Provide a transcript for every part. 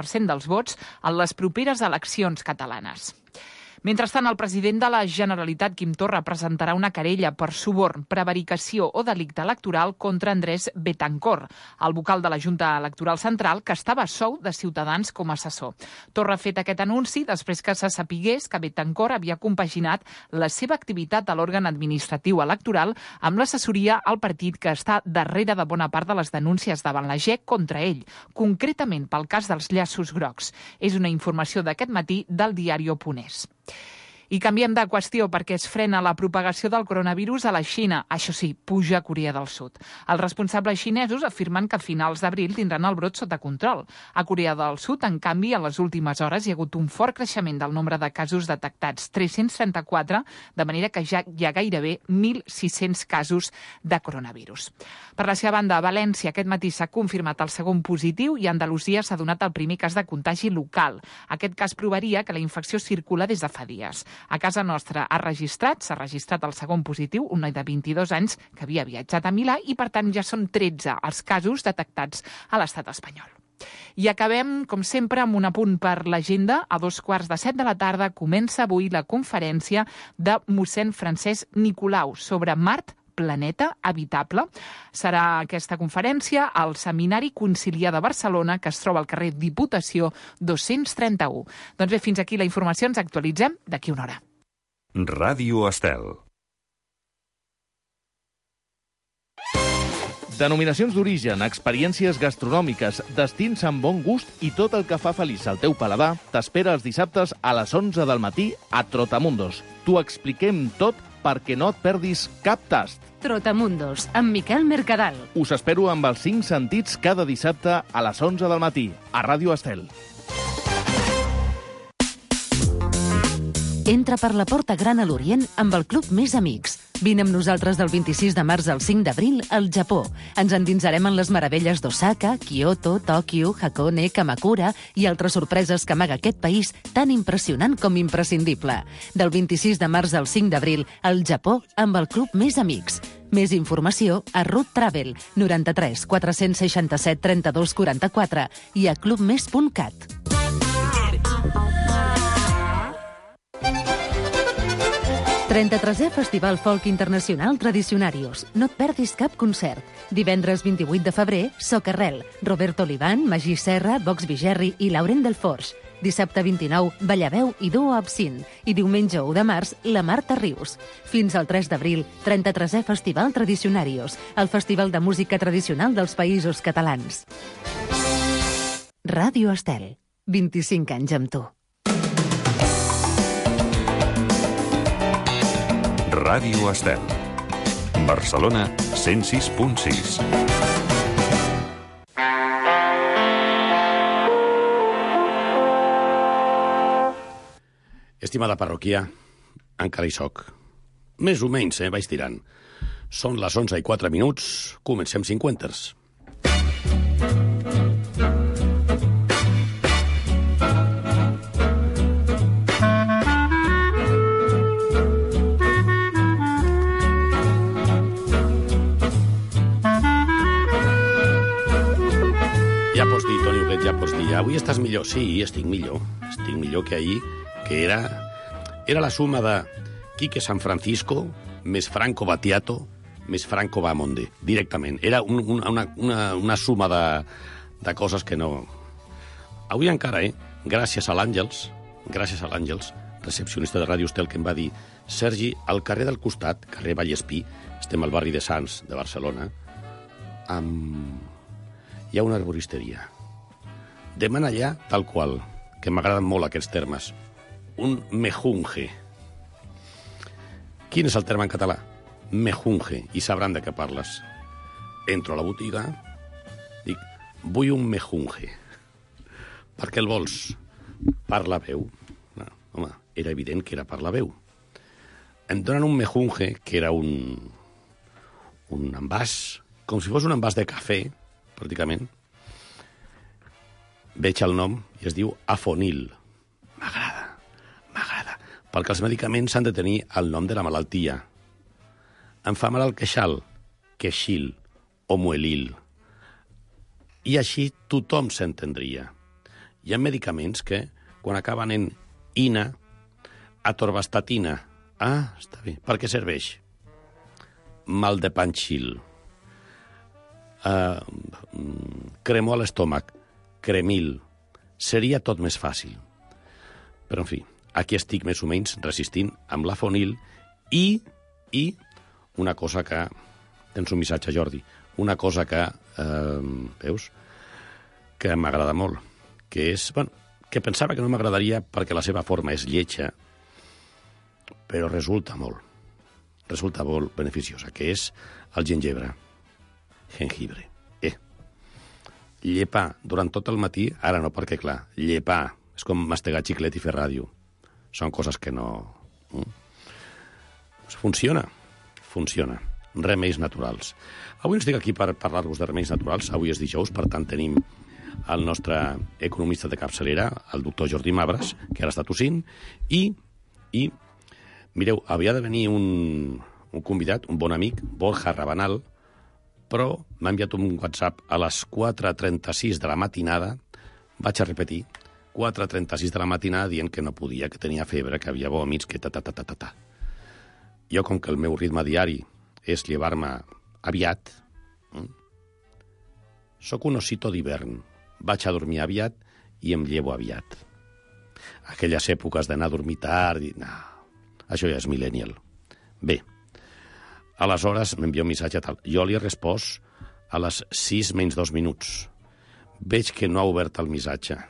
50% dels vots en les properes eleccions catalanes. Mentrestant, el president de la Generalitat, Quim Torra, presentarà una querella per suborn, prevaricació o delicte electoral contra Andrés Betancor, el vocal de la Junta Electoral Central, que estava a sou de Ciutadans com a assessor. Torra ha fet aquest anunci després que se sapigués que Betancor havia compaginat la seva activitat a l'òrgan administratiu electoral amb l'assessoria al partit que està darrere de bona part de les denúncies davant la GEC contra ell, concretament pel cas dels llaços grocs. És una informació d'aquest matí del diari Oponés. I canviem de qüestió perquè es frena la propagació del coronavirus a la Xina. Això sí, puja a Corea del Sud. Els responsables xinesos afirmen que a finals d'abril tindran el brot sota control. A Corea del Sud, en canvi, en les últimes hores hi ha hagut un fort creixement del nombre de casos detectats, 334, de manera que ja hi ha gairebé 1.600 casos de coronavirus. Per la seva banda, a València aquest matí s'ha confirmat el segon positiu i a Andalusia s'ha donat el primer cas de contagi local. Aquest cas provaria que la infecció circula des de fa dies. A casa nostra s'ha registrat el segon positiu, un noi de 22 anys que havia viatjat a Milà i, per tant, ja són 13 els casos detectats a l'estat espanyol. I acabem, com sempre, amb un apunt per l'agenda. A 14:15 de la tarda comença avui la conferència de mossèn Francesc Nicolau sobre Mart, planeta habitable. Serà aquesta conferència al Seminari Conciliar de Barcelona, que es troba al carrer Diputació 231. Doncs bé, fins aquí la informació. Ens actualitzem d'aquí una hora. Ràdio Estel. Denominacions d'origen, experiències gastronòmiques, destins amb bon gust i tot el que fa feliç al teu paladar t'espera els dissabtes a les 11 del matí a Trotamundos. T'ho expliquem tot perquè no et perdis cap tast. Trotamundos, amb Miquel Mercadal. Us espero amb els 5 sentits cada dissabte a les 11 del matí, a Ràdio Estel. Entra per la porta gran a l'Orient amb el Club Més Amics. Vine amb nosaltres del 26 de març al 5 d'abril al Japó. Ens endinsarem en les meravelles d'Osaka, Kyoto, Tòquio, Hakone, Kamakura i altres sorpreses que amaga aquest país tan impressionant com imprescindible. Del 26 de març al 5 d'abril al Japó amb el Club Més Amics. Més informació a Root Travel 93 467 32 44 i a clubmes.cat. 33è Festival Folk Internacional Tradicionarios. No et perdis cap concert. Divendres 28 de febrer, Socarrel, Roberto Olivan, Magí Serra, Vox Vigerri i Laurent Delforge. Dissabte 29, Ballaveu i Duo Absint. I diumenge 1 de març, la Marta Rius. Fins al 3 d'abril, 33è Festival Tradicionarios, el festival de música tradicional dels països catalans. Ràdio Estel, 25 anys amb tu. Ràdio Estel. Barcelona 106.6. Estimada parròquia, encara hi soc. Més o menys, vaig tirant. Són les 11:04, comencem 50ers. Ja pots dir, Toni Huguet, ja pots dir. Avui estàs millor? Sí, estic millor. Estic millor que ahir, que era la suma de Quique San Francisco més Franco Battiato més Franco Bahamonde, directament. Era una suma de coses que no... Avui encara, gràcies a l'Àngels, recepcionista de Ràdio Estel, que em va dir: Sergi, al carrer del costat, carrer Vallespí, estem al barri de Sants, de Barcelona, hi ha una arboristeria. Demana allà, tal qual, que m'agraden molt aquests termes, un mejunje. Quin és el terme en català? Mejunje, i sabran de què parles. Entro a la botiga, dic, vull un mejunje. Per què el vols? Per la veu. No, home, era evident que era per la veu. Em donen un mejunje, que era un envàs, com si fos un envàs de cafè, pràcticament. Veig el nom i es diu Afonil. M'agrada. Perquè els medicaments han de tenir el nom de la malaltia. Em fa mal el queixal, queixil o muelil. I així tothom s'entendria. Hi ha medicaments que, quan acaben en ina, atorvastatina. Està bé. Per què serveix? Mal de panxil. Cremor a l'estómac. Cremil. Seria tot més fàcil. Però, en fi, aquí estic més o menys resistint amb la fonil i una cosa que... Tens un missatge, Jordi. Una cosa que, veus, que m'agrada molt, que és... Bueno, que pensava que no m'agradaria perquè la seva forma és lletja, però resulta molt beneficiosa, que és el gengibre. Llepar durant tot el matí, ara no, perquè clar, llepar és com mastegar xiclet i fer ràdio. Són coses que no... Funciona. Remeis naturals. Avui no estic aquí per parlar-vos de remeis naturals, avui és dijous, per tant tenim el nostre economista de capçalera, el doctor Jordi Mabras, que ara està tossint, i mireu, havia de venir un convidat, un bon amic, Borja Rabanal, però m'ha enviat un WhatsApp a les 4:36 de la matinada, vaig a repetir, 4:36 de la matinada dient que no podia, que tenia febre, que havia vòmits, que ta. Jo, com que el meu ritme diari és llevar-me aviat, sóc un osito d'hivern. Vaig a dormir aviat i em llevo aviat. Aquelles èpoques d'anar a dormir tard... No, això ja és millennial. Bé, aleshores m'envia un missatge tal. Jo li he respost a les 6 menys 2 minuts. Veig que no ha obert el missatge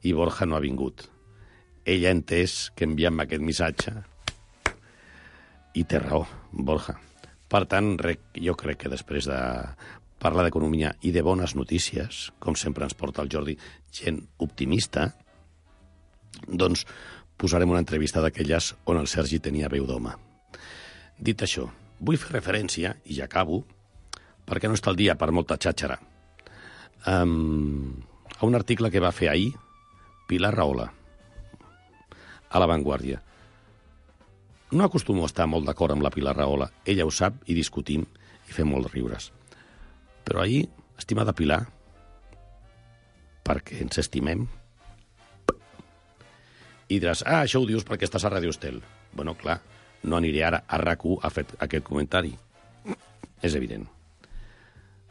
i Borja no ha vingut. Ell ha entès que enviant-me aquest missatge i té raó, Borja. Per tant, jo crec que després de parlar d'economia i de bones notícies, com sempre ens porta el Jordi, gent optimista, doncs posarem una entrevista d'aquelles on el Sergi tenia veu d'home. Dit això, vull fer referència, i ja acabo, perquè no està el dia per molta xàxara, a un article que va fer ahir Pilar Rahola, a La Vanguardia. No acostumo a estar molt d'acord amb la Pilar Rahola, ella ho sap i discutim i fem molts riures. Però ahir, estimada Pilar, perquè ens estimem, i diràs, això ho dius perquè estàs a Ràdio Estel. Bueno, clar, no aniré ara a RAC1 a fer aquest comentari. És evident.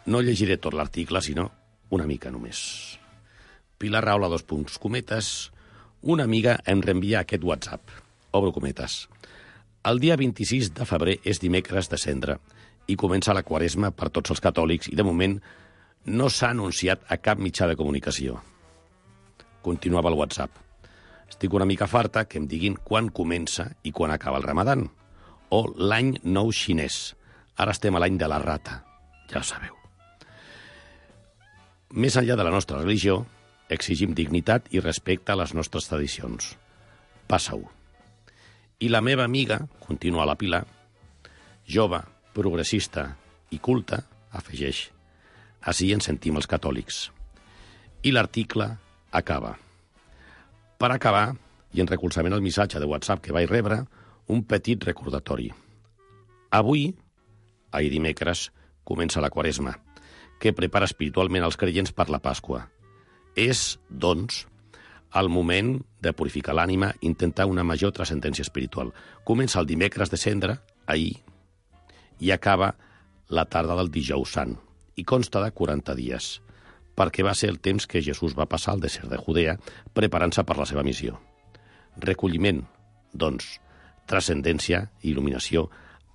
No llegiré tot l'article, sinó una mica només. Pilar Rahola, una amiga em reenvia aquest WhatsApp. Obro cometes. El dia 26 de febrer és dimecres de Cendra i comença la Quaresma per tots els catòlics i, de moment, no s'ha anunciat a cap mitjà de comunicació. Continuava el WhatsApp. Estic una mica farta que em diguin quan comença i quan acaba el Ramadan, o l'any nou xinès. Ara estem a l'any de la rata, ja ho sabeu. Més enllà de la nostra religió, exigim dignitat i respecte a les nostres tradicions. Passa-ho. I la meva amiga, continua la Pilar, jove, progressista i culta, afegeix, així ens sentim els catòlics. I l'article acaba. Per acabar, i en recolzament al missatge de WhatsApp que vaig rebre, un petit recordatori. Avui, ahir dimecres, comença la Quaresma, que prepara espiritualment els creients per la Pasqua. És, doncs, el moment de purificar l'ànima i intentar una major transcendència espiritual. Comença el dimecres de Cendra, ahir, i acaba la tarda del dijous sant, i consta de 40 dies, perquè va ser el temps que Jesús va passar al desert de Judea preparant-se per la seva missió. Recolliment, doncs, transcendència i il·luminació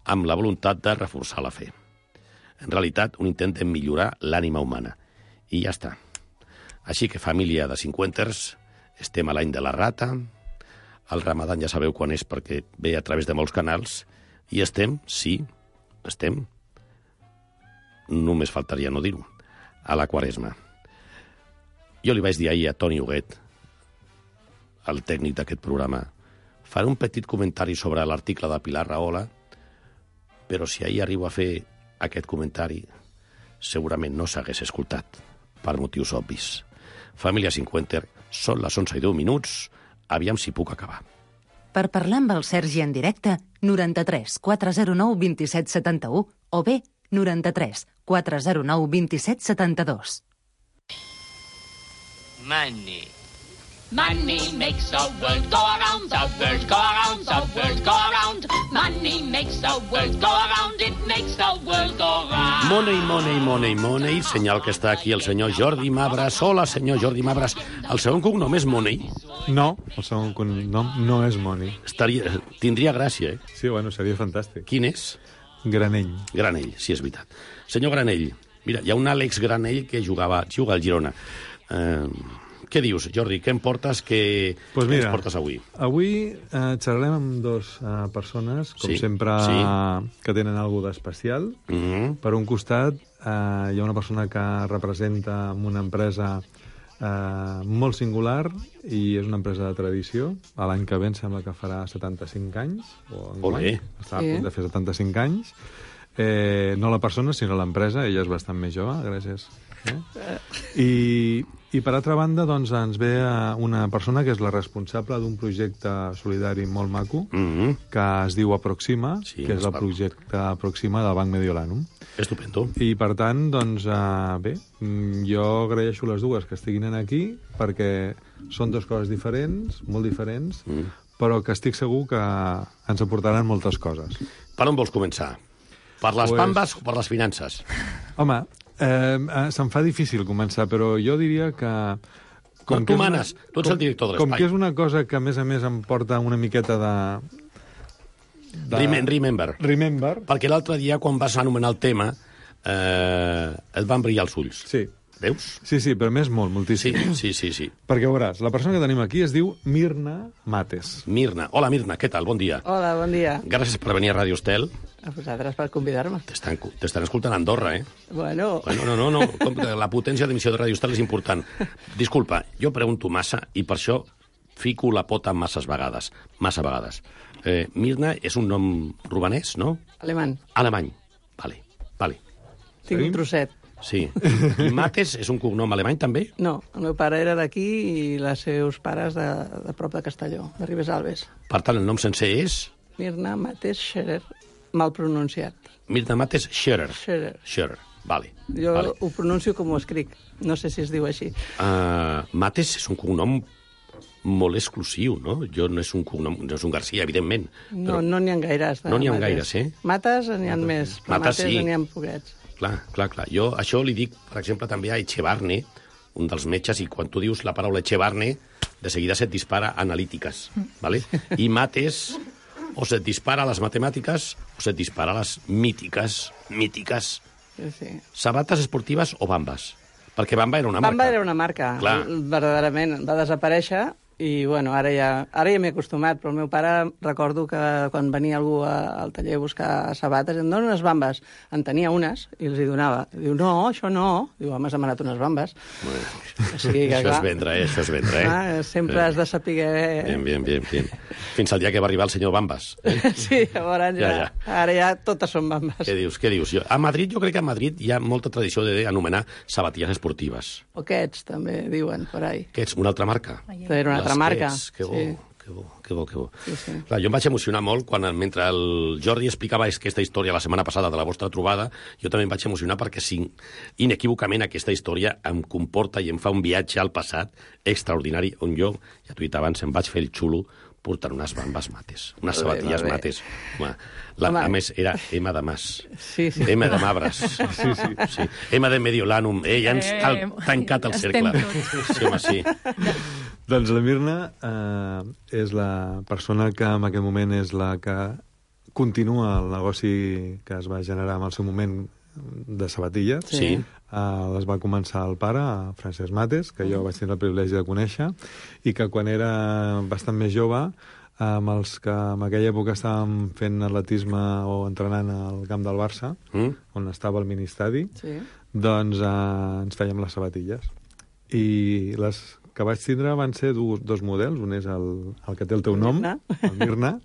amb la voluntat de reforçar la fe. En realitat, un intent de millorar l'ànima humana. I ja està. Així que, família de cinquenters, estem a l'any de la rata, el Ramadan ja sabeu quan és perquè ve a través de molts canals, i estem, sí, estem, només faltaria no dir-ho, a la Quaresma. Jo li vaig dir ahir a Toni Huguet, el tècnic d'aquest programa, faré un petit comentari sobre l'article de Pilar Rahola, però si ahir arribo a fer aquest comentari, segurament no s'hagués escoltat, per motius obvis. Família Cinquenter, són les 11:10, aviam si puc acabar. Per parlar amb el Sergi en directe, 93 409 27 71 o bé 93 409 27 72. Manni, Money makes the world go around, the world go around, the world go around. Money makes the world go around, it makes the world go round. Money, money, money, money. Senyal que està aquí el senyor Jordi Mabras. Hola, senyor Jordi Mabras. El segon cognom és Money? No, el segon cognom no és Money. Tindria gràcia, eh? Sí, bueno, seria fantàstic. Quin és? Granell. Granell, sí, és veritat. Senyor Granell, mira, hi ha un Àlex Granell que juga al Girona. Què dius, Jordi? Què em portes? Què ens portes avui? Avui xerrarem amb dues persones, com sempre, que tenen alguna d'especial. Per un costat, hi ha una persona que representa una empresa molt singular i és una empresa de tradició. L'any que ve em sembla que farà 75 anys. Olé! Està a punt de fer 75 anys. No la persona, sinó l'empresa. Ella és bastant més jove, gràcies. I per altra banda, doncs, ens ve una persona que és la responsable d'un projecte solidari molt maco, que es diu Aproxima, que és el projecte Aproxima del Banc Mediolanum. Estupendo. I, per tant, doncs, bé, jo agraeixo les dues que estiguin aquí, perquè són dues coses diferents, molt diferents, però que estic segur que ens aportaran moltes coses. Per on vols començar? Per les bambes o per les finances? Home, se'm fa difícil començar, però jo diria que... Tu manes, tu ets el director de l'espai. Com que és una cosa que, a més, em porta una miqueta de... Remember. Perquè l'altre dia, quan vas anomenar el tema, et van brillar els ulls. Sí. Veus? Sí, però més moltíssim. Sí. Perquè veuràs, la persona que tenim aquí es diu Mirna Mates. Mirna. Hola, Mirna, què tal? Bon dia. Hola, bon dia. Gràcies per venir a Ràdio Estel. A vosaltres per convidar-me. T'estan escoltant a Andorra, eh? Bueno... No. La potència d'emissió de Ràdio Estel és important. Disculpa, jo pregunto massa i per això fico la pota massa vegades. Mirna és un nom romanès, no? Alemany. Vale. Tinc un trosset. Sí. I Mates és un cognom alemany, també? No, el meu pare era d'aquí i els seus pares de prop de Castelló, de Ribesalbes. Per tant, el nom sencer és? Mirna Mates Scherer, mal pronunciat. Mirna Mates Scherer. Vale. Jo ho pronuncio com ho escric, no sé si es diu així. Mates és un cognom molt exclusiu, no? No és un cognom, no és un Garcia, evidentment. No n'hi ha gaires. No n'hi ha gaires, eh? Mates n'hi ha més, però Mates n'hi ha poquets. Clar. Jo això li dic, per exemple, també a Echevarne, un dels metges, i quan tu dius la paraula Echevarne, de seguida se't dispara analítiques, ¿vale? I Mates, o se't dispara a les matemàtiques, o se't dispara a les mítiques. Sí. Sabates esportives o bambes? Perquè Bamba era una marca. Bamba era una marca, verdaderament. Va desaparèixer i, bueno, ara ja m'he acostumat, però el meu pare, recordo que quan venia algú al taller a buscar sabates, em dona unes bambes. En tenia unes i els hi donava. Diu, no, això no. Diu, home, has demanat unes bambes. Això és vendre, eh? Sempre has de saber... Bien. Fins al dia que va arribar el senyor Bambes. Sí, llavors ja. Ara ja totes són bambes. Què dius? A Madrid, jo crec que a Madrid hi ha molta tradició d'anomenar sabatilles esportives. O Kets, també diuen, per ahí. Kets, una altra marca. Era una altra marca. Que bo. Sí. Clar, jo em vaig emocionar molt mentre el Jordi explicava aquesta història la setmana passada de la vostra trobada, jo també em vaig emocionar perquè inequívocament aquesta història em comporta i em fa un viatge al passat extraordinari, on jo, ja t'ho he dit abans, em vaig fer el xulo portant unes bambes Mates, unes sabatilles Mates. A més, era Emma de Mas. Sí. Emma de Mabras. Sí. Emma de Mediolanum. Ja ens ha tancat el cercle. Sí. Doncs la Mirna és la persona que en aquest moment és la que continua el negoci que es va generar en el seu moment de sabatilles. Sí. Les va començar el pare, Francesc Mates, que jo vaig tenir el privilegi de conèixer, i que quan era bastant més jove, amb els que en aquella època estàvem fent atletisme o entrenant al camp del Barça, on estava el ministadi, doncs ens fèiem les sabatilles. I les que vaig tindre van ser dos models. Un és el que té el teu nom, el Mirna,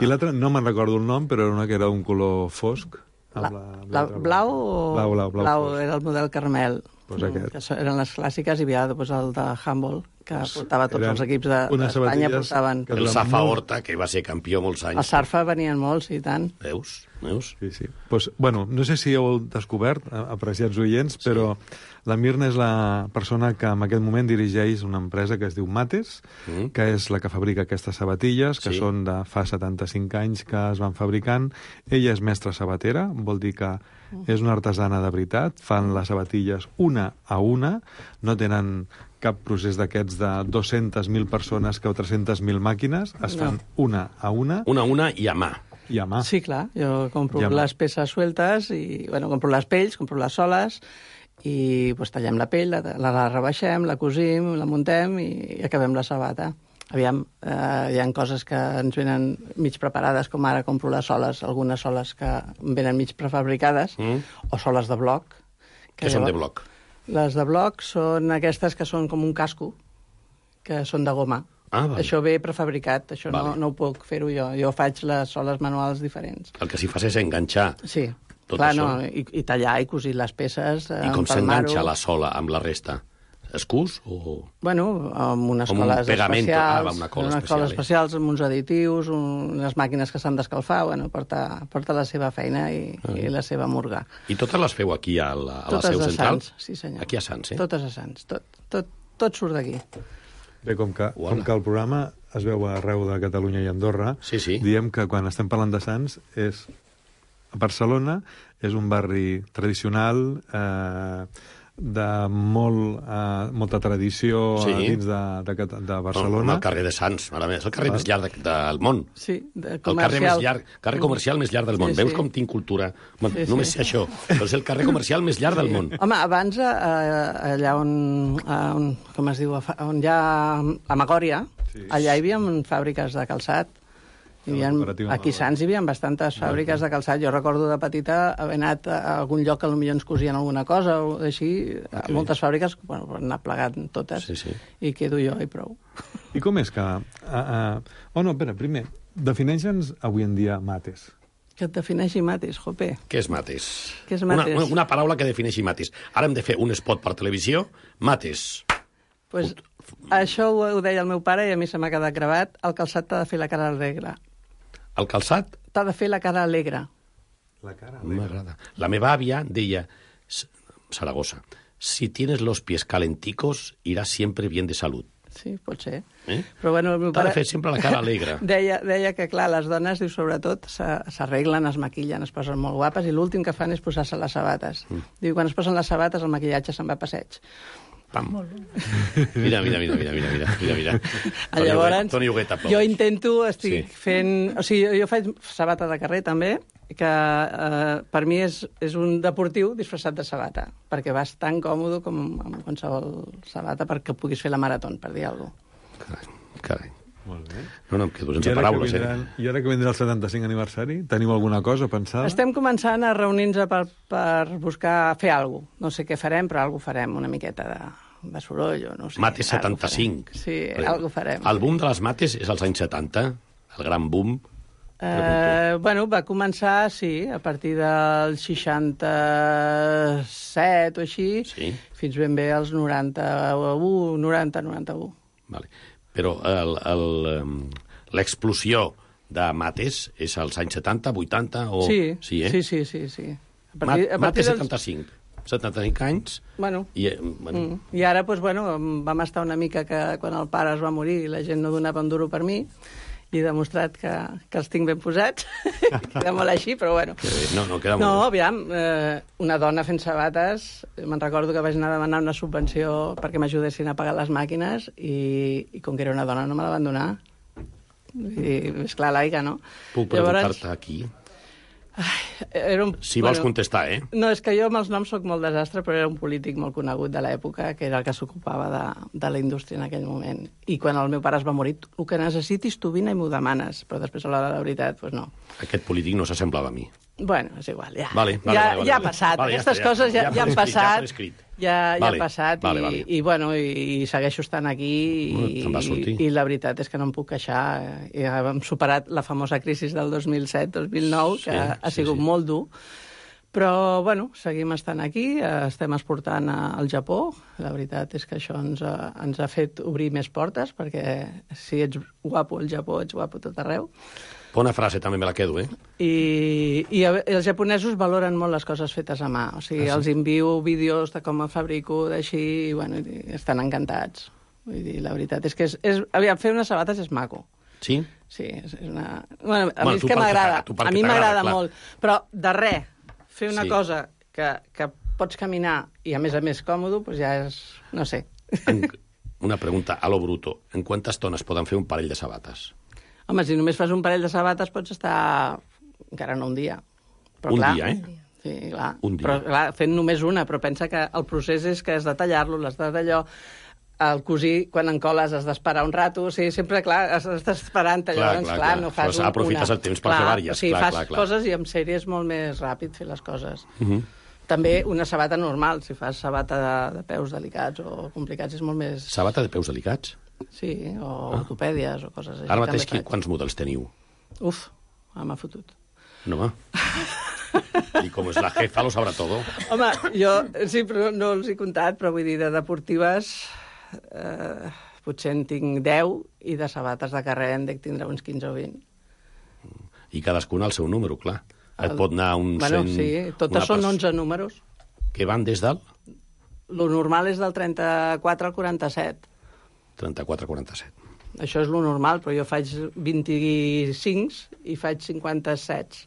i l'altre, no me'n recordo el nom, però era una que era d'un color fosc. Blau era el model Carmel. Pues aquest. Que eren les clàssiques, i hi havia el de Humboldt, que portava tots els equips d'Espanya, portaven... El Safa Horta, que va ser campió molts anys. El Sarfa venien molts, i tant. Veus? Sí. Pues, bueno, no sé si heu descobert, apreciats oients, però la Mirna és la persona que en aquest moment dirigeix una empresa que es diu Mates, que és la que fabrica aquestes sabatilles, que són de fa 75 anys que es van fabricant. Ella és mestra sabatera, vol dir que és una artesana de veritat, fan les sabatilles una a una, no tenen cap procés d'aquests de 200.000 persones que o 300.000 màquines, es fan una a una. Una a una i a mà. I a mà. Sí, clar, jo compro les peces sueltes, i bueno, compro les pells, compro les soles, i pues, tallem la pell, la rebaixem, la cosim, la muntem i acabem la sabata. Aviam, hi ha coses que ens venen mig preparades, com ara compro les soles, algunes soles que venen mig prefabricades, o soles de bloc. Què són de bloc? Les de bloc són aquestes que són com un casco, que són de goma. Vale. Això ve prefabricat, això no ho puc fer-ho jo. Jo faig les soles manuals diferents. El que s'hi fas és enganxar. Sí, tot clar, això. I tallar i cosir les peces. I com s'enganxa la sola amb la resta? Es cus o...? Bueno, amb unes com coles especials. Una cola unes especial. Coles especials, amb uns additius, unes màquines que s'han d'escalfar, bueno, porta la seva feina i la seva murga. I totes les feu aquí a la seu central? Totes a Sants, sí senyor. Aquí a Sants, Totes a Sants, tot surt d'aquí. Bé, com que el programa es veu arreu de Catalunya i Andorra, diem que quan estem parlant de Sants Barcelona és un barri tradicional, de molta tradició dins de Barcelona. El carrer de Sants, és el carrer més llarg del món. Sí, comercial. El carrer comercial més llarg del món. Veus com tinc cultura? Només sé això, però és el carrer comercial més llarg del món. Home, abans, allà on com es diu, on hi ha a Magòria, allà hi havia fàbriques de calçat. Aquí a Sants hi havia bastantes fàbriques de calçat. Jo recordo de petita haver anat a algun lloc que potser ens cosien alguna cosa o així, moltes fàbriques, bueno, per anar plegant totes, i quedo jo i prou. I com és que... primer, defineixa'ns avui en dia Mates. Que et defineixi Mates, jope. Què és Mates? Què és Mates? Una paraula que defineixi Mates. Ara hem de fer un spot per televisió, Mates. Pues, això ho deia el meu pare i a mi se m'ha quedat gravat. El calçat t'ha de fer la cara alegre. El calçat? T'ha de fer la cara alegre. La cara alegre. M'agrada. La meva àvia deia, Saragossa, si tienes los pies calenticos, irás siempre bien de salud. Sí, pot ser. Però bueno, el meu pare... T'ha de fer sempre la cara alegre. Deia que, clar, les dones, diu, sobretot, s'arreglen, es maquillen, es posen molt guapes, i l'últim que fan és posar-se les sabates. Diu, quan es posen les sabates, el maquillatge se'n va a passeig. Pam. Mira. Llavors, Toni Huguet aplaudeix. Jo intento, estic fent... O sigui, jo faig sabata de carrer, també, que per mi és un deportiu disfressat de sabata, perquè vas tan còmode com amb qualsevol sabata perquè puguis fer la marató, per dir alguna cosa. Carai. Molt bé. No, em quedo sense paraules, I ara que vindrà el 75 aniversari, teniu alguna cosa pensada? Estem començant a reunir-nos per buscar fer alguna cosa. No sé què farem, però alguna cosa farem, una miqueta de soroll, o no sé. Mates 75. Sí, alguna cosa farem. El boom de les mates és als anys 70, el gran boom. Bueno, va començar, sí, a partir del 67 o així, fins ben bé als 90-91. Vale. Però l'explosió de mates és als anys 70, 80 o... Sí. Mates 75. 75 anys. Bueno. I ara, doncs, vam estar una mica que quan el pare es va morir la gent no donava un duro per mi, i he demostrat que els tinc ben posats. Queda molt així, però bueno. No, queda molt. No, aviam, una dona fent sabates, me'n recordo que vaig anar a demanar una subvenció perquè m'ajudessin a pagar les màquines i com que era una dona no me la van donar. I és clar, laica, no? Puc preguntar-te aquí? Si vols contestar, No, és que jo amb els noms soc molt desastre, però era un polític molt conegut de l'època, que era el que s'ocupava de la indústria en aquell moment. I quan el meu pare es va morir, el que necessitis tu vine i m'ho demanes, però després a l'hora de la veritat, doncs no. Aquest polític no s'assemblava a mi. Bueno, és igual, ja. Ja ha passat. Aquestes coses ja han passat. Ja ha passat i segueixo estant aquí i la veritat és que no em puc queixar. Hem superat la famosa crisi del 2007-2009, que ha sigut molt dur, Però, bueno, seguim estant aquí, estem exportant al Japó. La veritat és que això ens ha fet obrir més portes, perquè si ets guapo al Japó, ets guapo tot arreu. Bona frase, també me la quedo, eh? I els japonesos valoren molt les coses fetes a mà. O sigui, els envio vídeos de com fabrico, d'així, i, bueno, estan encantats. Vull dir, la veritat és que aviam, fer unes sabates és maco. Sí? Sí, és una... Bueno, a mi és que m'agrada. A mi m'agrada molt. Però, de res, fer una cosa que pots caminar i, a més còmodo, doncs ja és... no sé. Una pregunta a lo bruto. En quantes tones poden fer un parell de sabates? Home, si només fas un parell de sabates pots estar encara no un dia. Però, un clar, dia, eh? Sí, clar. Un dia. Però, clar, fent només una, però pensa que el procés és que has de tallar-lo, l'has de d'allò... El cosir, quan encoles, has d'esperar un rato. O sigui, sempre, clar, has d'estar esperant allò. Clar, no fas una. Aprofites el temps per fer vàries. O sigui, fas coses i amb sèrie és molt més ràpid fer les coses. També una sabata normal. Si fas sabata de peus delicats o complicats és molt més... Sabata de peus delicats? Sí, o ortopèdies o coses així. Ara mateix, quants models teniu? Uf, m'ha fotut. No, home. I com és la jefa, lo sabrà todo. Home, jo sí, però no els he comptat, però vull dir, de deportives... potser en tinc 10 i de sabates de carrer en dec tindre uns 15 o 20. I cadascuna al seu número, clar. Et pot anar un 100... Bueno, sí, totes són 11 números. Que van des del? Lo normal és del 34 al 47. 34 al 47. Això és lo normal, però jo faig 25 i faig 57.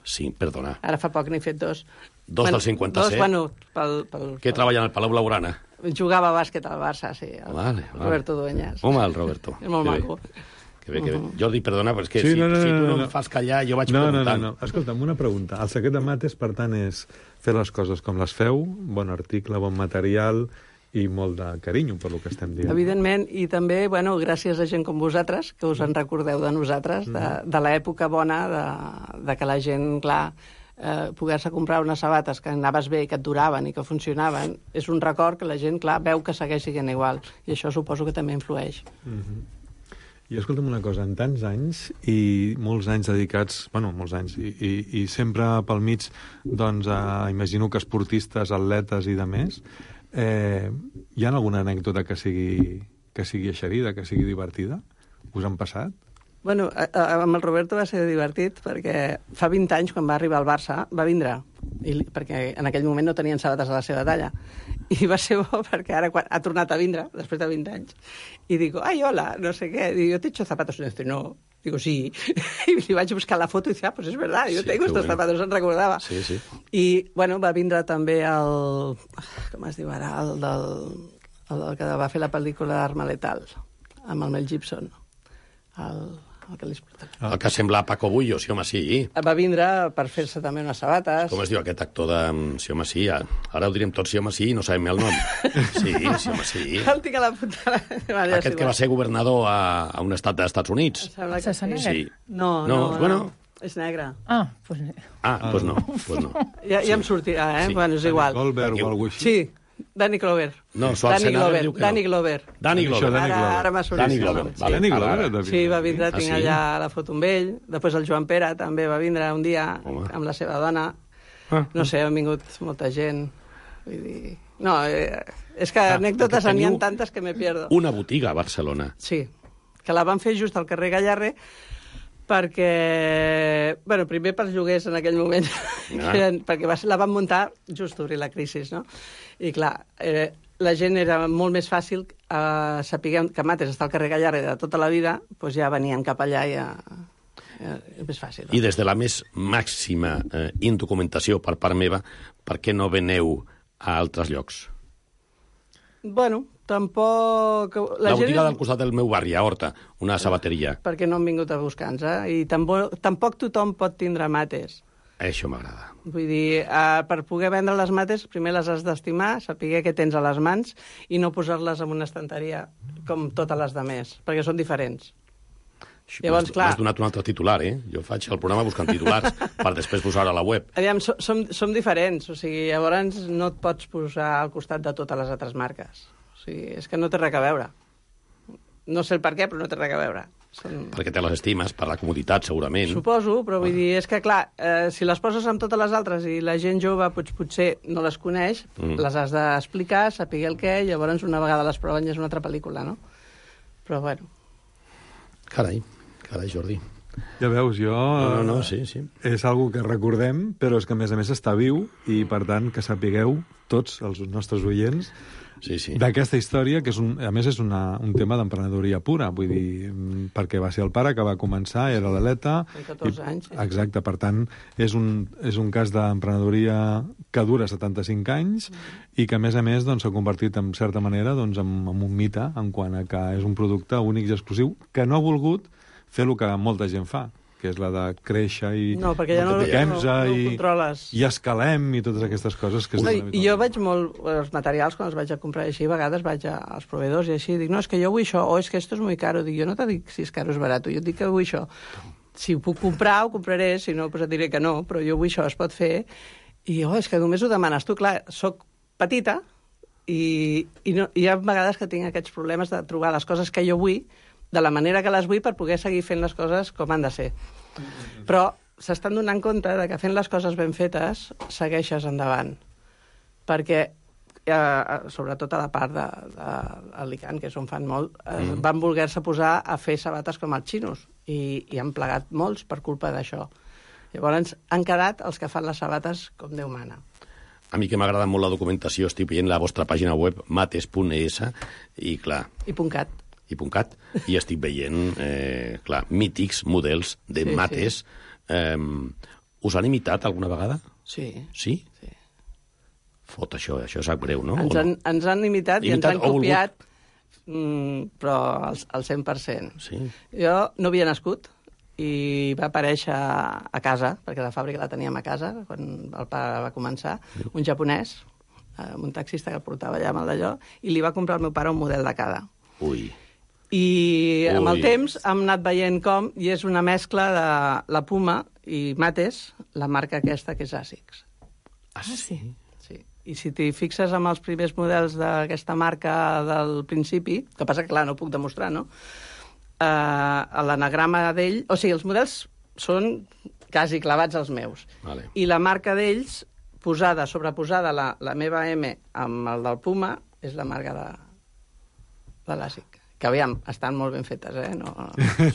Sí, perdona. Ara fa poc n'he fet 2. Dos del 57? Dos, bueno, pel... Què treballa en el Palau Blaugrana? Jugava a bàsquet al Barça, sí. Vale. Roberto Dueñas. Home, el Roberto. És molt maco. Que bé. Jordi, perdona, però és que si tu no em fas callar, jo vaig preguntant. No. Escolta'm, una pregunta. El secret de mates, per tant, és fer les coses com les feu, bon article, bon material i molt de carinyo, per lo que estem dient. Evidentment, i també, bueno, gràcies a gent com vosaltres, que us en recordeu de nosaltres, de l'època bona, de que la gent, clar, poder-se comprar unes sabates que anaves bé, que et duraven i que funcionaven, és un record que la gent, clar, veu que segueix sent igual. I això suposo que també influeix. I escolta'm una cosa, en tants anys i molts anys dedicats, bueno, molts anys, i sempre pel mig, doncs, imagino que esportistes, atletes i de més, hi ha alguna anècdota que sigui eixerida, que sigui divertida? Us han passat? Bueno, amb el Roberto va ser divertit perquè fa 20 anys, quan va arribar al Barça, va vindre, perquè en aquell moment no tenien sabates a la seva talla. I va ser bo perquè ara ha tornat a vindre, després de 20 anys, i dic, ai, hola, no sé què, digo, ¿te he hecho zapatos? Y dice, no. Digo, sí. I li vaig buscar la foto i dic, pues és verdad, yo tengo estos zapatos, se'n recordava. Sí. I, bueno, va vindre també el... Com es diu ara? El que va fer la pel·lícula Arma Letal, amb el Mel Gibson. El que sembla Paco Bullo, sí, home, sí. Va vindre per fer-se també unes sabates. Com es diu aquest actor de... Sí, home, sí. Ara ho direm tot sí, home, sí, no sabem el nom. Sí, home, sí. El tinc a la punta. Aquest que va ser governador a un estat dels Estats Units. Sí. No, bueno... És negre. Pues no. Ja em sortirà, eh? Sí. Bueno, és igual. Goldberg o alguna cosa així? Sí. Danny Glover. No, Schwarzenegger diu que no. Danny Glover. Ara m'ha sortit. Danny Glover. Danny Glover. Sí, va vindre, tinc allà la foto amb ell. Després el Joan Pere també va vindre un dia amb la seva dona. No sé, han vingut molta gent. Vull dir... No, és que anècdotes n'hi ha tantes que me pierdo. Una botiga a Barcelona. Sí, que la van fer just al carrer Gallarre perquè, bueno, primer per lloguers en aquell moment, perquè la van muntar just obrir la crisi, no? I clar, la gent era molt més fàcil saber que Mates està al carrer Gallarre de tota la vida, doncs ja venien cap allà i és més fàcil. I des de la més màxima indocumentació per part meva, per què no veneu a altres llocs? Bueno, tampoc... La botiga del costat del meu barri, a Horta, una sabateria. Perquè no han vingut a buscar-nos, I tampoc tothom pot tindre mates. Això m'agrada. Vull dir, per poder vendre les mates, primer les has d'estimar, saber què tens a les mans i no posar-les en una estanteria com totes les demés, perquè són diferents. Llavors, clar... M'has donat un altre titular, Jo faig el programa buscant titulars per després posar a la web. Aviam, som diferents, o sigui, llavors no et pots posar al costat de totes les altres marques. O sigui, és que no té res a veure. No sé el per què, però no té res a veure. Perquè te les estimes, per la comoditat, segurament. Suposo, però vull dir, és que, clar, si les poses amb totes les altres i la gent jove potser no les coneix, les has d'explicar, saber el què, i llavors una vegada les proven ja és una altra pel·lícula, no? Però, bueno... Carai, Jordi. Ja veus, jo... No, sí. És algo que recordem, però és que, a més està viu, i, per tant, que sapigueu, tots els nostres oients, d'aquesta història, que a més és un tema d'emprenedoria pura, vull dir, perquè va ser el pare que va començar, era l'Aleta... 14 anys. Exacte, per tant, és un cas d'emprenedoria que dura 75 anys i que, a més, s'ha convertit, en certa manera, en un mite, en quant a que és un producte únic i exclusiu, que no ha volgut fer el que molta gent fa, que és la de créixer i... No, perquè ja no ho controles. I escalem i totes aquestes coses que... I jo veig molt els materials, quan els vaig a comprar així, a vegades vaig als proveedors i així, dic, no, és que jo vull això, o és que esto es muy caro. Dic, jo no te dic si és caro o és barat, jo et dic que vull això. Si ho puc comprar, ho compraré, si no, et diré que no, però jo vull això, es pot fer. I, és que només ho demanes tu. Clar, soc petita i hi ha vegades que tinc aquests problemes de trobar les coses que jo vull de la manera que les vull per poder seguir fent les coses com han de ser. Però s'estan donant compte de que fent les coses ben fetes segueixes endavant. Perquè, sobretot a la part d'Alicant, que és on fan molt, van voler-se posar a fer sabates com els xinos i han plegat molts per culpa d'això. Llavors han quedat els que fan les sabates com Déu mana. A mi que m'agrada molt la documentació, estic veient la vostra pàgina web, mates.es, i clar... .cat. I estic veient, clar, mítics models de mates. Us han imitat alguna vegada? Sí. Sí? Sí. Fot, això sap greu, no? Ens han imitat i ens han copiat, però al 100%. Sí. Jo no havia nascut i va aparèixer a casa, perquè la fàbrica la teníem a casa, quan el pare va començar, un japonès, un taxista que el portava allà amb el d'allò, i li va comprar al meu pare un model de cada. Ui. I amb el temps hem anat veient com, i és una mescla de la Puma i Mates, la marca aquesta que és ASICS. Ah, sí? Sí. I si t'hi fixes amb els primers models d'aquesta marca del principi, que passa que, clar, no ho puc demostrar, no? L'anagrama d'ell... O sigui, els models són quasi clavats als meus. Vale. I la marca d'ells, sobreposada la meva M amb el del Puma, és la marca de l'ASIC. Que, aviam, estan molt ben fetes, No.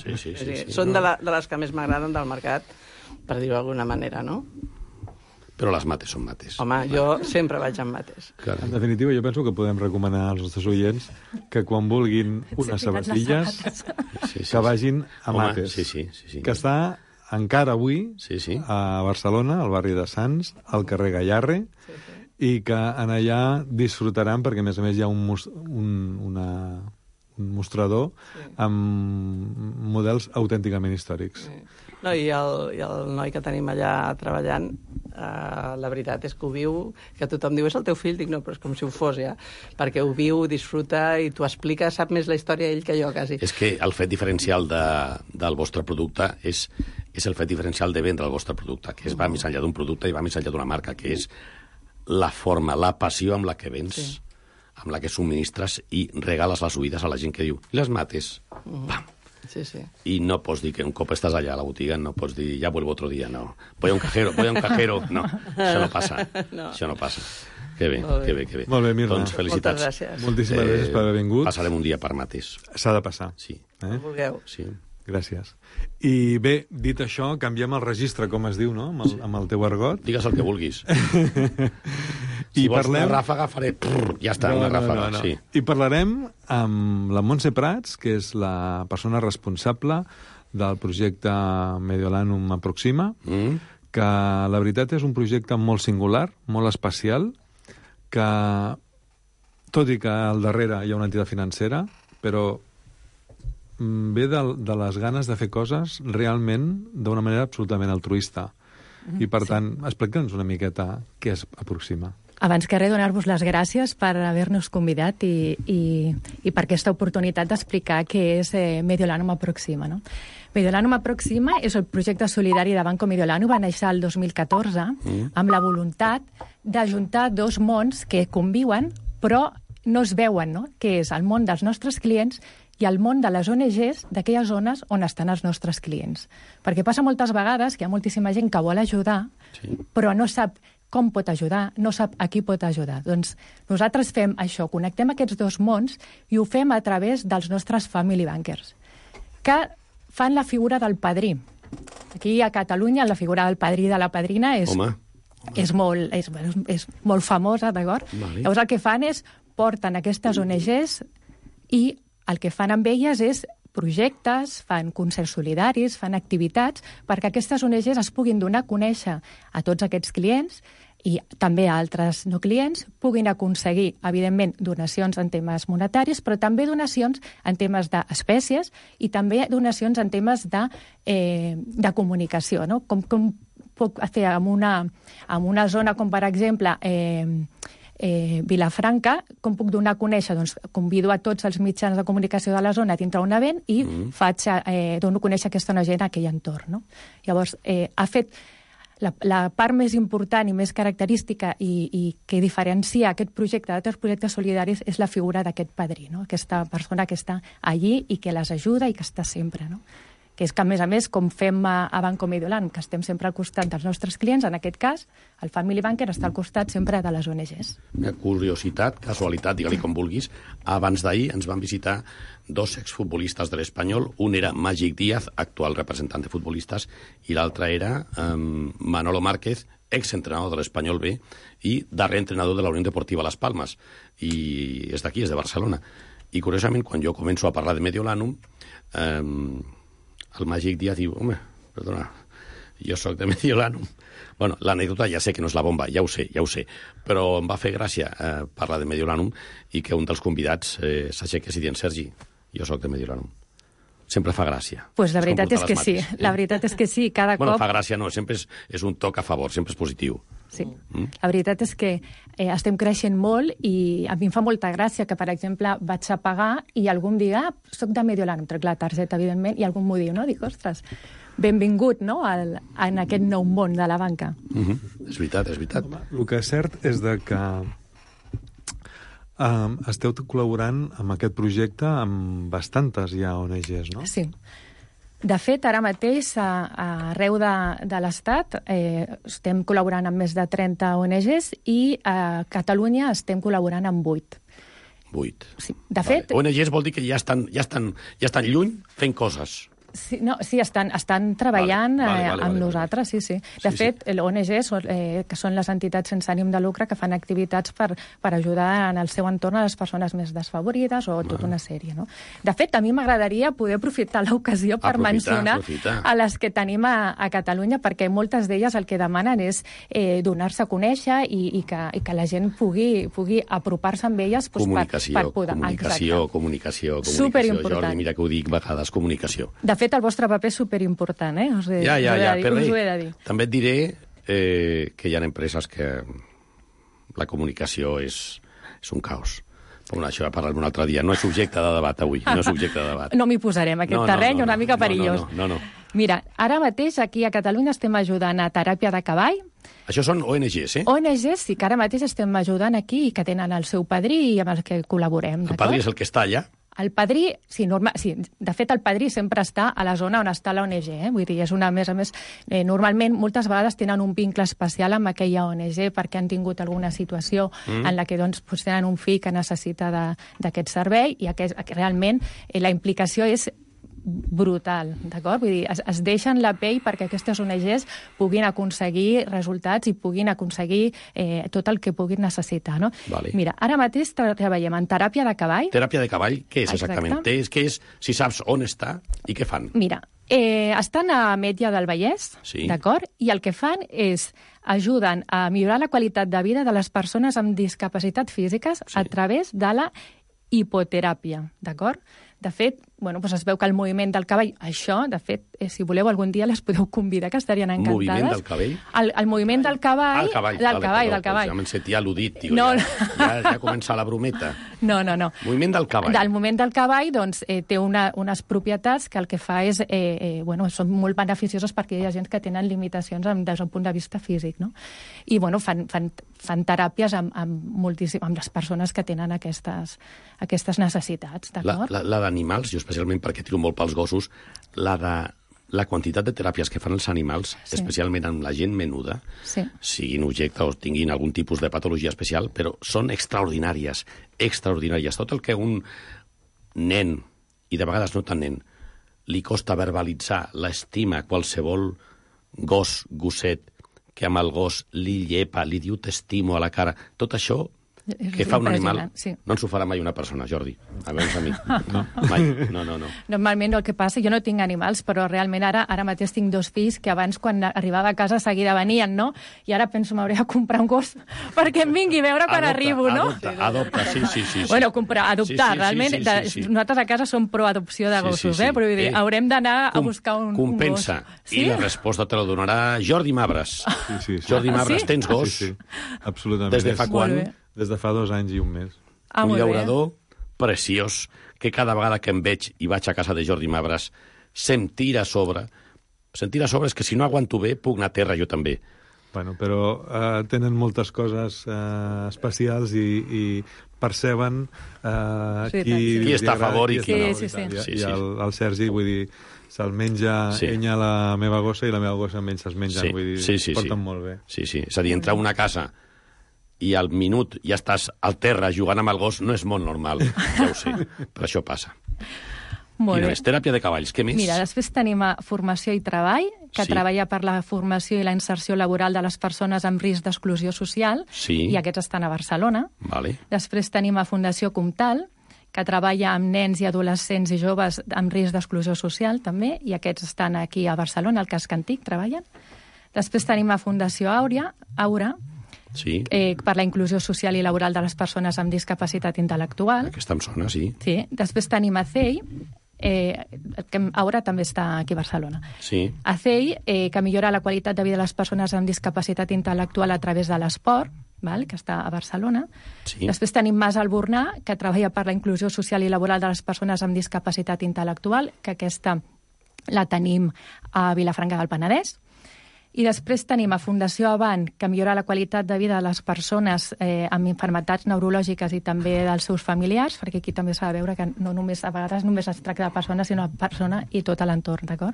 Sí. Són de les que més m'agraden del mercat, per dir-ho d'alguna manera, no? Però les mates són mates. Home, jo sempre vaig amb mates. Claro. En definitiva, jo penso que podem recomanar als nostres oients que quan vulguin unes sabatilles que vagin a Mates. Sí. Que està encara avui a Barcelona, al barri de Sants, al carrer Gallarre, i que en allà disfrutaran, perquè a més hi ha un mostrador amb models autènticament històrics. No, i el noi que tenim allà treballant, la veritat és que ho viu, que tothom diu, és el teu fill, dic, no, però és com si ho fos, ja, perquè ho viu, disfruta i t'ho explica, sap més la història ell que jo, quasi. És que el fet diferencial del vostre producte és el fet diferencial de vendre el vostre producte, que va més enllà d'un producte i va més enllà d'una marca, que és la forma, la passió amb la que vens, amb la que subministres i regales les oïdes a la gent que diu, i les mates, pam. Sí. I no pots dir que un cop estàs allà a la botiga, no pots dir, ja vuelvo otro día, no. Voy a un cajero, no, això no passa, això no passa. Que bé. Molt bé, Mirna. Doncs felicitats. Moltes gràcies. Moltíssimes gràcies per haver vingut. Passarem un dia per Mates. S'ha de passar. Sí. Vulgueu. Sí. Gràcies. I bé, dit això, canviem el registre, com es diu, no?, amb el teu argot. Digues el que vulguis. Si vols una ràfaga, faré... Ja està, una ràfaga, sí. I parlarem amb la Montse Prats, que és la persona responsable del projecte Mediolanum Aproxima, que la veritat és un projecte molt singular, molt especial, que, tot i que al darrere hi ha una entitat financera, però ve de les ganes de fer coses realment d'una manera absolutament altruista. I, per tant, explica'ns una miqueta què és Aproxima. Abans que res, donar-vos les gràcies per haver-nos convidat i per aquesta oportunitat d'explicar què és Mediolanum Aproxima. No? Mediolanum Aproxima és el projecte solidari de Banco Mediolanum, va néixer el 2014 amb la voluntat d'ajuntar dos mons que conviuen però no es veuen, no? Que és el món dels nostres clients i el món de les ONGs d'aquelles zones on estan els nostres clients. Perquè passa moltes vegades que hi ha moltíssima gent que vol ajudar, però no sap com pot ajudar, no sap a qui pot ajudar. Doncs nosaltres fem això, connectem aquests dos mons i ho fem a través dels nostres family bankers, que fan la figura del padrí. Aquí a Catalunya la figura del padrí i de la padrina és molt famosa, d'acord? Vale. Llavors el que fan és porten aquestes ONGs i el que fan amb elles és projectes, fan concerts solidaris, fan activitats perquè aquestes ONGs es puguin donar a conèixer a tots aquests clients i també a altres no clients, puguin aconseguir, evidentment, donacions en temes monetaris, però també donacions en temes d'espècies i també donacions en temes de comunicació, no? Com puc fer en una zona com, per exemple, Vilafranca, com puc donar a conèixer? Doncs convido a tots els mitjans de comunicació de la zona a dintre un event i dono a conèixer aquesta ONG en aquell entorn. No? Llavors, ha fet la part més important i més característica i que diferencia aquest projecte d'altres projectes solidaris és la figura d'aquest padrí, no? Aquesta persona que està allí i que les ajuda i que està sempre, no? Que és que, a més, com fem a Banco Mediolanum, que estem sempre al costat dels nostres clients, en aquest cas, el Family Banker està al costat sempre de les ONGs. Una curiositat, casualitat, digue-li com vulguis, abans d'ahir ens van visitar 2 exfutbolistes de l'Espanyol. Un era Màgic Díaz, actual representant de futbolistes, i l'altre era Manolo Márquez, exentrenador de l'Espanyol B i darrer entrenador de la Unió Deportiva Las Palmas. I és d'aquí, és de Barcelona. I, curiosament, quan jo començo a parlar de Mediolanum, el Màgic Díaz diu, home, perdona, jo sóc de Mediolanum. Bueno, l'anècdota ja sé que no és la bomba, ja ho sé, però em va fer gràcia parlar de Mediolanum i que un dels convidats s'aixequés i dient, Sergi, jo sóc de Mediolanum. Sempre fa gràcia. Pues la veritat és que sí, la veritat és que sí, cada cop... Bueno, fa gràcia no, sempre és un toc a favor, sempre és positiu. Sí, la veritat és que estem creixent molt i a mi em fa molta gràcia que, per exemple, vaig a pagar i algú em diga, soc de Mediolanum, trec la targeta, evidentment, i algú m'ho diu, no? Dic, ostres, benvingut, no?, en aquest nou món de la banca. És veritat, és veritat. El que és cert és que esteu col·laborant amb aquest projecte amb bastantes ja ONGs, no? Sí. De fet, ara mateix, arreu de l'Estat, estem col·laborant amb més de 30 ONGs i a Catalunya estem col·laborant amb 8. 8. Sí. De fet... ONGs vol dir que ja estan lluny fent coses. Sí, estan treballant amb nosaltres, sí. De fet, l'ONG, que són les entitats sense ànim de lucre que fan activitats per ajudar en el seu entorn a les persones més desfavorides o tota una sèrie, no? De fet, a mi m'agradaria poder aprofitar l'ocasió per mencionar a les que tenim a Catalunya, perquè moltes d'elles el que demanen és donar-se a conèixer i que la gent pugui apropar-se amb elles per poder... Comunicació. Superimportant. Jordi, mira que ho dic vegades, comunicació. De fet, el vostre paper és superimportant, Us ho he de dir. També et diré que hi ha empreses que la comunicació és un caos. Però això ja parlarem un altre dia. No és subjecte de debat avui, no és subjecte de debat. No m'hi posarem, aquest terreny una mica perillós. No. Mira, ara mateix aquí a Catalunya estem ajudant a Teràpia de Cavall. Això són ONGs, ONGs, sí, que ara mateix estem ajudant aquí i que tenen el seu padrí i amb els que col·laborem. El padrí és el que està allà? El padrí, sí, de fet el padrí sempre està a la zona on està la ONG, vull dir, és una, a més, normalment moltes vegades tenen un vincle especial amb aquella ONG perquè han tingut alguna situació en la que doncs, tenen un fill que necessita d'aquest servei i realment la implicació és brutal, d'acord? Vull dir, es deixen la pell perquè aquestes ONGs puguin aconseguir resultats i puguin aconseguir tot el que puguin necessitar, no? Vale. Mira, ara mateix treballem en teràpia de cavall. Teràpia de cavall, què és exactament? Què és, si saps on està i què fan? Mira, estan a Ametlla del Vallès, d'acord? I el que fan és ajuden a millorar la qualitat de vida de les persones amb discapacitat físiques a través de la hipoteràpia, d'acord? De fet, bueno, doncs es veu que el moviment del cavall, això, de fet, si voleu algun dia les podeu convidar, que estarien encantades. Moviment del cabell? El moviment del cavall. El cavall. Del cavall. Ja me'n sentia al·ludit, tio. No. Ja comença la brometa. No. Moviment del cavall. Del moviment del cavall, doncs, té unes propietats que el que fa és, són molt beneficioses perquè hi ha gent que tenen limitacions des d'un punt de vista físic, no? I, bueno, fan teràpies amb les persones que tenen aquestes necessitats, d'acord? La d'animals, jo especialment perquè tiro molt pels gossos, la quantitat de teràpies que fan els animals, especialment amb la gent menuda, siguin objecte o tinguin algun tipus de patologia especial, però són extraordinàries. Tot el que un nen, i de vegades no tan nen, li costa verbalitzar l'estima a qualsevol gosset, que amb el gos li llepa, li diu t'estimo a la cara, tot això que fa un animal, no ens ho farà mai una persona, Jordi. Almenys a mi. No. Mai. No. Normalment el que passa, jo no tinc animals, però realment ara mateix tinc 2 fills que abans, quan arribava a casa, seguida venien, no? I ara penso, m'hauré de comprar un gos perquè em vingui a veure quan arribo, no? Adopta, sí. Bueno, adoptar, realment. Nosaltres a casa som pro-adopció de gossos, però vull dir, haurem d'anar a buscar un gos. Compensa. I la resposta te la donarà Jordi Mabres. Jordi Mabres, tens gos? Sí, absolutament. Des de fa quan? Des de fa 2 anys i 1 mes. Un llaurador preciós, que cada vegada que em veig i vaig a casa de Jordi Mabres, se'm tira a sobre. Se'm tira a sobre és que si no aguanto bé, puc anar a terra jo també. Bueno, però tenen moltes coses especials i perceben qui està a favor i qui no. I el Sergi, vull dir, se'l menja ella la meva gossa i la meva gossa amb ell se'ls mengen, vull dir, es porten molt bé. Sí. És a dir, entrar a una casa i al minut ja estàs al terra jugant amb el gos no és molt normal, ja ho sé, però això passa. Molt bé. Teràpia de cavalls, què més? Mira, després tenim formació i treball, que treballa per la formació i la inserció laboral de les persones amb risc d'exclusió social, i aquests estan a Barcelona. Després tenim a Fundació Comtal, que treballa amb nens i adolescents i joves amb risc d'exclusió social, també, i aquests estan aquí a Barcelona, al Casc Antic, treballen. Després tenim a Fundació Aura, per la inclusió social i laboral de les persones amb discapacitat intel·lectual. Aquesta em sona, sí. Després tenim a CEI, que Aura també està aquí a Barcelona. A CEI, que millora la qualitat de vida de les persones amb discapacitat intel·lectual a través de l'esport, que està a Barcelona. Després tenim Mas Albornà, que treballa per la inclusió social i laboral de les persones amb discapacitat intel·lectual, que aquesta la tenim a Vilafranca del Penedès. I després tenim a Fundació Avant, que millora la qualitat de vida de les persones amb malalties neurològiques i també dels seus familiars, perquè aquí també s'ha de veure que no només, a vegades només es tracta de persones, sinó de persona i tot l'entorn, d'acord?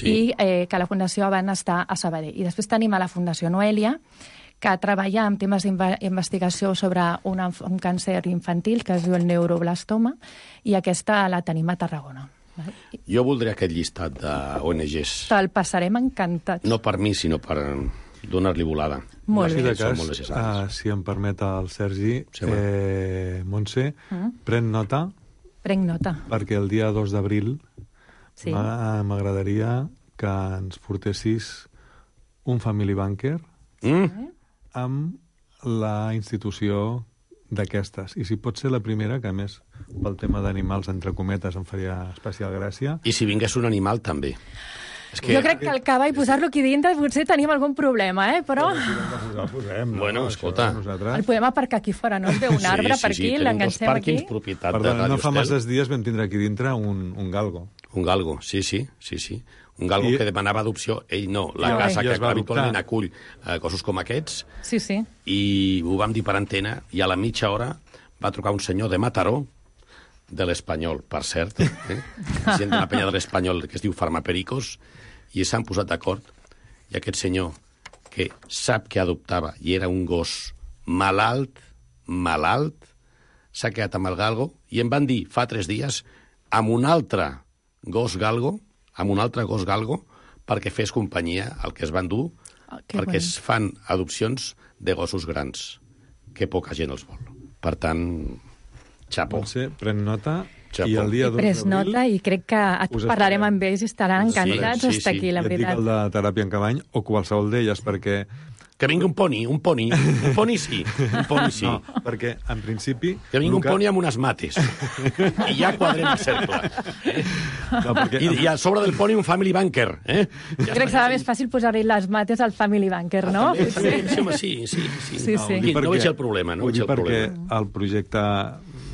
I que la Fundació Avant està a Sabadell. I després tenim a la Fundació Noelia, que treballa en temes d'investigació sobre un càncer infantil que es diu el neuroblastoma, i aquesta la tenim a Tarragona. Jo voldria aquest llistat d'ONGs. Te'l passarem encantat. No per mi, sinó per donar-li volada. Molt bé. Si em permet el Sergi, Montse, pren nota. Prenc nota. Perquè el dia 2 d'abril m'agradaria que ens portessis un Family Banker amb la institució d'aquestes. I si pot ser la primera, que a més pel tema d'animals, entre cometes, em faria especial gràcia. I si vingués un animal, també. Jo crec que el cavall, posar-lo aquí dintre, potser tenim algun problema, però... Bueno, escolta... El podem aparcar aquí fora, no? Es veu un arbre per aquí, l'engancem aquí. Perdona, no fa masses dies vam tindre aquí dintre un galgo. Un galgo, sí. Un galgo que demanava adopció, ell no. La casa que habitualment acull cossos com aquests. Sí. I ho vam dir per antena, i a la mitja hora va trucar un senyor de Mataró, de l'Espanyol, per cert, gent d'una penya de l'Espanyol que es diu Farmapericos, i s'han posat d'acord, i aquest senyor, que sap que adoptava, i era un gos malalt, s'ha quedat amb el galgo, i em van dir fa 3 dies, amb un altre gos galgo, perquè fes companyia al que es van dur, perquè es fan adopcions de gossos grans, que poca gent els vol. Per tant, xapó. Pren nota. I el dia 2 d'abril... Pres nota i crec que parlarem amb ells i estaran encantats d'estar aquí, la veritat. Ja et dic el de teràpia en cavall, o qualsevol d'elles, perquè Que vingui un poni sí. No, perquè, en principi... Que vingui un poni amb unes mates. I ja quadrem el cercle. No, perquè... I a sobre del poni un family banker. Ja crec que serà més fàcil posar-hi les mates al family banker, no? Sí. No veig el problema. Ho dic perquè el projecte,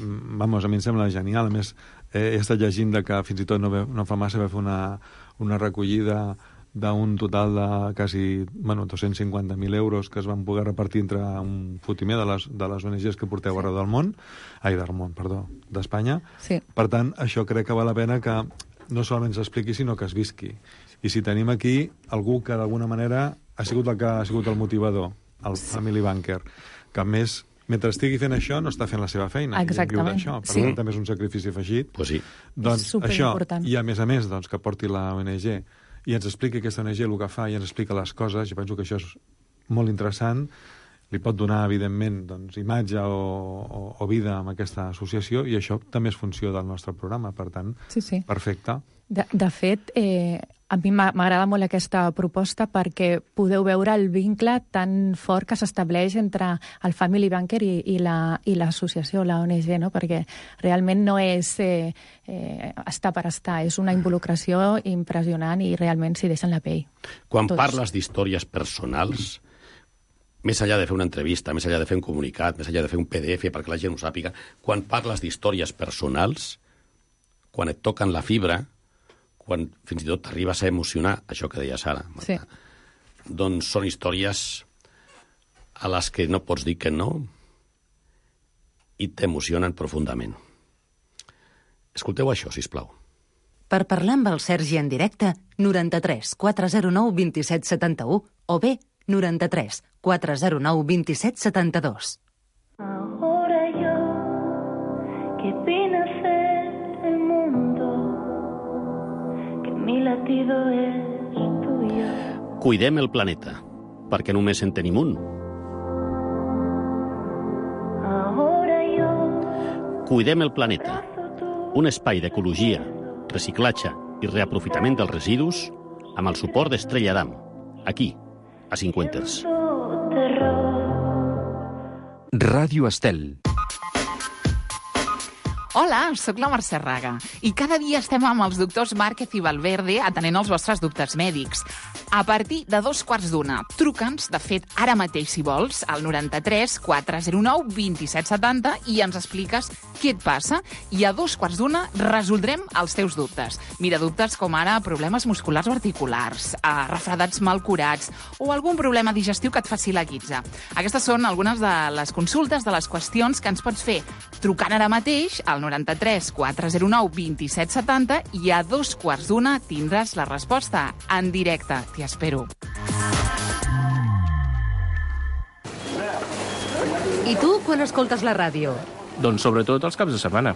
vamos, a mi em sembla genial. A més, he estat llegint que fins i tot no fa massa va fer una recollida d'un total de quasi 250.000 euros que es van poder repartir entre un fotimer de les ONGs que porteu arreu del món, d'Espanya. Sí. Per tant, això crec que val la pena que no solament s'expliqui, sinó que es visqui. I si tenim aquí algú que d'alguna manera ha sigut el que ha sigut el motivador, el family banker, que més, mentre estigui fent això, no està fent la seva feina. Exactament. Per tant, també és un sacrifici afegit. Pues sí. Doncs això, i a més, doncs, que porti la ONG i ens expliqui aquesta ONG el que fa i ens explica les coses, jo penso que això és molt interessant, li pot donar, evidentment, doncs, imatge o vida amb aquesta associació, i això també és funció del nostre programa, per tant, sí. Perfecte. De fet, a mi m'agrada molt aquesta proposta perquè podeu veure el vincle tan fort que s'estableix entre el Family Banker i l'associació, la ONG, no? Perquè realment no és estar per estar, és una involucració impressionant i realment s'hi deixen la pell. Quan parles d'històries personals, més enllà de fer una entrevista, més enllà de fer un comunicat, més enllà de fer un PDF perquè la gent ho sàpiga, quan parles d'històries personals, quan et toquen la fibra, quan fins i tot t'arribes a emocionar, això que deia Sara, Marta, sí. Doncs són històries a les que no pots dir que no i t'emocionen profundament. Escolteu això, sisplau. Per parlar amb el Sergi en directe, 93 409 27 71 o bé 93 409 27 72. Ahora yo, que vine a ser el mundo, que mi latido es tuyo. Cuidem el planeta, perquè només en tenim un. Ahora yo, Cuidem el planeta, un espai d'ecologia, reciclatge i reaprofitament dels residus amb el suport d'Estrella Damm, aquí, a Cinquenters. Ràdio Estel. Hola, sóc la Mercè Raga i cada dia estem amb els doctors Márquez i Valverde atenent els vostres dubtes mèdics. A partir de 2:15, truca'ns, de fet, ara mateix, si vols, al 93 409 2770 i ens expliques què et passa i a 2:15 resoldrem els teus dubtes. Mira, dubtes com ara problemes musculars o articulars, refredats mal curats o algun problema digestiu que et faci la guitza. Aquestes són algunes de les consultes, de les qüestions que ens pots fer trucant ara mateix al 93 409 2770 i a 2:15 tindràs la resposta en directe. T'hi espero. I tu, quan escoltes la ràdio? Doncs sobretot els caps de setmana.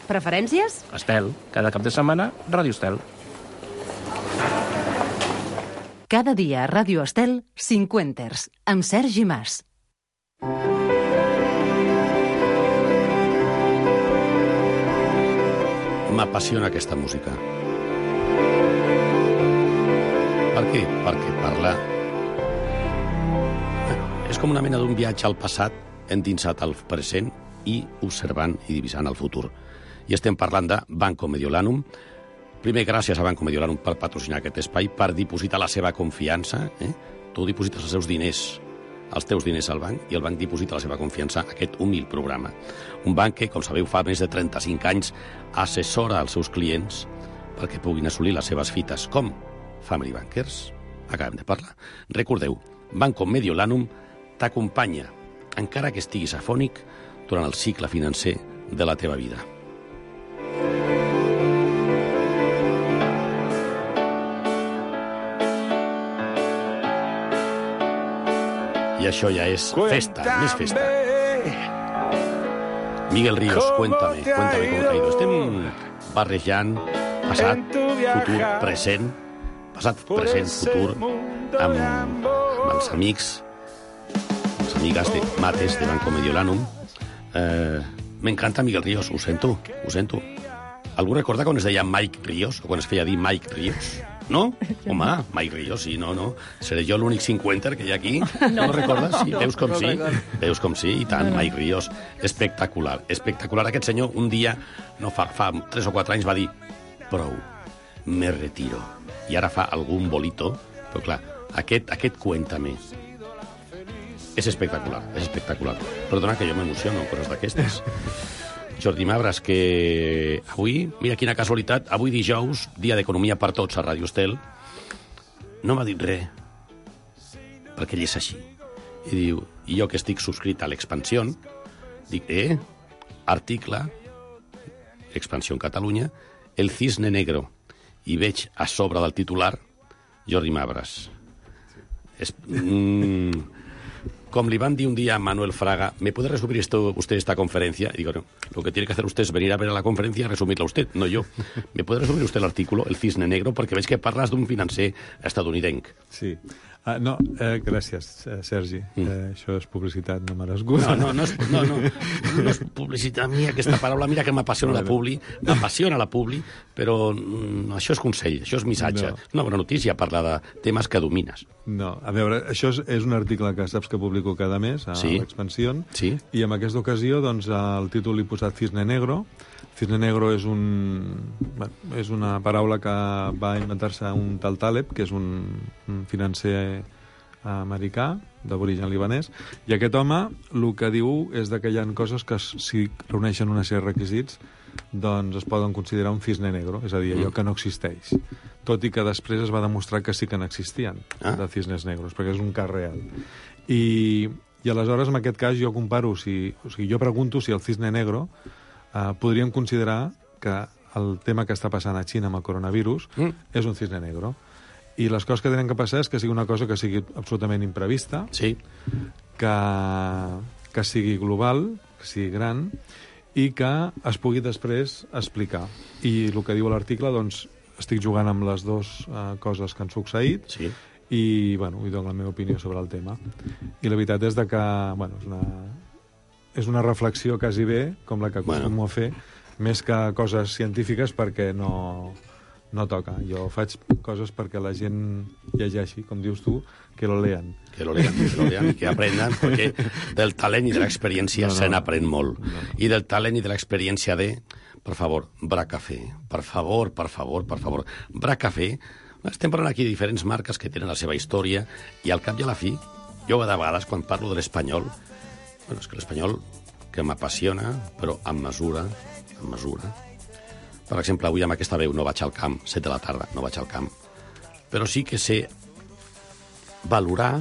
Preferències? Estel. Cada cap de setmana, Ràdio Estel. Cada dia a Ràdio Estel, Cinquenters, amb Sergi Mas. M'apassiona aquesta música. Per què? Perquè parla... És com una mena d'un viatge al passat endinsat al present i observant i divisant el futur. I estem parlant de Banco Mediolanum. Primer, gràcies a Banco Mediolanum per patrocinar aquest espai, per dipositar la seva confiança. Tu diposites els seus diners, els teus diners al banc, i el banc diposita la seva confiança a aquest humil programa. Un banc que, com sabeu, fa més de 35 anys assessora als seus clients perquè puguin assolir les seves fites. Com? Family Bankers. Acabem de parlar. Recordeu, Banco Mediolanum t'acompanya, encara que estiguis afònic, durant el cicle financer de la teva vida. I això ja és festa, més festa. Miguel Ríos, cuéntame cómo te ha ido. Estem barrejant passat, futur, present, passat, present, futur, amb els amics, les amigues de Mates de Banco Mediolanum. M'encanta Miguel Ríos, ho sento. Algú recorda quan es deia Mike Ríos, o quan es feia dir Mike Ríos? No? Home, Mike Ríos, sí, no. Seré jo l'únic 50 que hi ha aquí. No recordes? Sí, veus com sí? Veus com sí? I tant, Mike Ríos. Espectacular. Aquest senyor un dia, no fa 3 o 4 anys, va dir prou, me retiro. I ara fa algun bolito, però clar, aquest Cuéntame és espectacular. Perdona que jo m'emociono, coses d'aquestes. Jordi Mabras, que avui, mira quina casualitat, avui dijous, dia d'economia per tots a Ràdio Estel, no m'ha dit res, perquè ell és així. I diu, i jo que estic subscrit a l'Expansió, dic, article, Expansió en Catalunya, el cisne negro, i veig a sobre del titular Jordi Mabras. Como le van a un día a Manuel Fraga, ¿me puede resumir usted esta conferencia? Y digo, no, lo que tiene que hacer usted es venir a ver a la conferencia y resumirla usted, no yo. ¿Me puede resumir usted el artículo, El cisne negro? Porque veig que parles d'un financer estadounidenc. Sí. Gràcies, Sergi. Això és publicitat, no merescut. No és publicitat. A mi aquesta paraula, mira que m'apassiona la publi, però això és consell, això és missatge. És una bona notícia parlar de temes que domines. No, a veure, això és un article que saps que publico cada mes a l'Expansió, i en aquesta ocasió doncs, el títol l'he posat Cisne Negro. Cisne Negro és una paraula que va inventar-se un tal Taleb, que és un financer americà, d'origen libanès, i aquest home el que diu és que hi ha coses que, si reuneixen una sèrie de requisits, doncs es poden considerar un cisne negro, és a dir, allò que no existeix. Tot i que després es va demostrar que sí que n'existien, de cisnes negros, perquè és un cas real. I aleshores, en aquest cas, jo comparo, jo pregunto si el cisne negro podríem considerar que el tema que està passant a Xina amb el coronavirus és un cisne negro. I les coses que tenen que passar és que sigui una cosa que sigui absolutament imprevista, que sigui global, que sigui gran, i que es pugui després explicar. I el que diu l'article, doncs, estic jugant amb les dues coses que han succeït, i, bueno, hi dono la meva opinió sobre el tema. I la veritat és que, bueno, és una reflexió quasi bé, com la que acostumo a fer, més que coses científiques, perquè no toca. Jo faig coses perquè la gent llegeixi, com dius tu, que lo lean. Que lo lean, y que aprendan, porque del talent i de l'experiència se n'aprèn molt. I del talent i de l'experiència per favor, Bracafé, per favor. Bracafé, estem parlant aquí de diferents marques que tenen la seva història, i al cap i a la fi, jo de vegades, quan parlo de l'espanyol, bueno, és que l'espanyol que m'apassiona, però amb mesura. Per exemple, avui amb aquesta veu no vaig al camp, 7 de la tarda, no vaig al camp. Però sí que sé valorar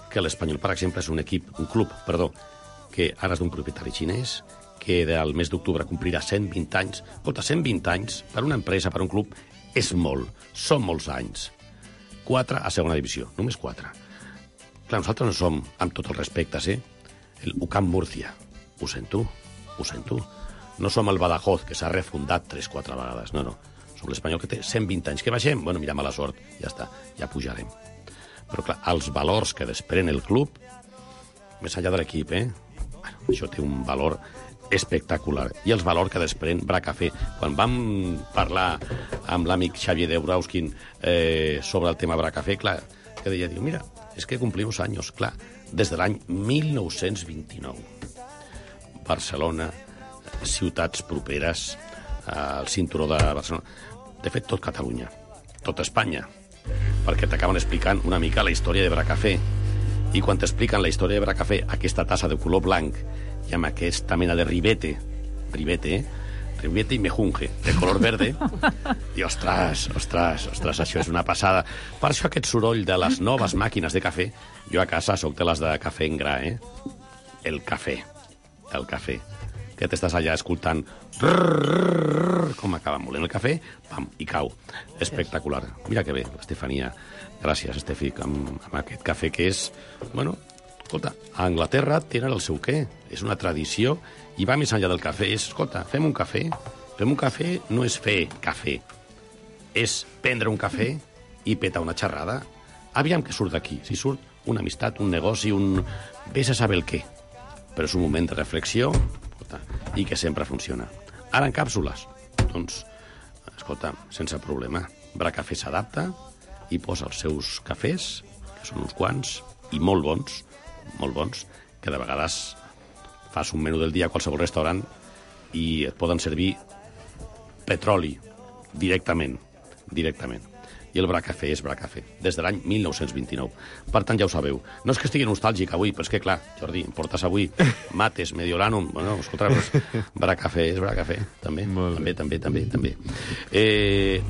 que l'Espanyol, per exemple, és un club, que ara és d'un propietari xinès, que del mes d'octubre complirà 120 anys. Escolta, 120 anys per una empresa, per un club, és molt. Són molts anys. 4 a segona divisió, només 4. Clar, nosaltres no som, amb tot el respecte, el UCAM Múrcia. Ho sento. No som el Badajoz, que s'ha refundat 3-4 vegades. No. Som l'Espanyol que té 120 anys. Que baixem? Bueno, mira, mala sort. Ja està, ja pujarem. Però, clar, els valors que desprèn el club, més enllà de l'equip, bueno, això té un valor espectacular. I els valors que desprèn Bracafé. Quan vam parlar amb l'amic Xavier Debrauskin sobre el tema Bracafé, clar, que deia, mira, és que complimos anys, clar, des de l'any 1929. Barcelona, ciutats properes al cinturó de Barcelona. De fet, tot Catalunya, tot Espanya, perquè t'acaben explicant una mica la història de Bracafé. I quan t'expliquen la història de Bracafé, aquesta tassa de color blanc i amb aquesta mena de ribete i mejunje, de color verde, i ostres, això és una passada. Per això aquest soroll de les noves màquines de cafè, jo a casa soc de les de cafè en gra, el cafè, que t'estàs allà escoltant com acaba molent el cafè, pam, i cau. Espectacular. Mira que bé, Estefania. Gràcies, Estefi, amb aquest cafè que és... Bueno, escolta, a Anglaterra tenen el seu què. És una tradició i va més enllà del cafè. Escolta, fem un cafè. Fem un cafè no és fer cafè. És prendre un cafè i petar una xerrada. Aviam què surt d'aquí. Si surt una amistat, un negoci, vés a saber el què. Però és un moment de reflexió i que sempre funciona. Ara en càpsules, doncs, escolta, sense problema. Bracafé s'adapta i posa els seus cafès, que són uns quants, i molt bons, que de vegades fas un menú del dia a qualsevol restaurant i et poden servir petroli directament. I el Bracafé és Bracafé, des de l'any 1929. Per tant, ja ho sabeu. No és que estigui nostàlgic avui, però és que, clar, Jordi, em portes avui mates, mediolanum... Bueno, escolta, Bracafé és Bracafé, també. També.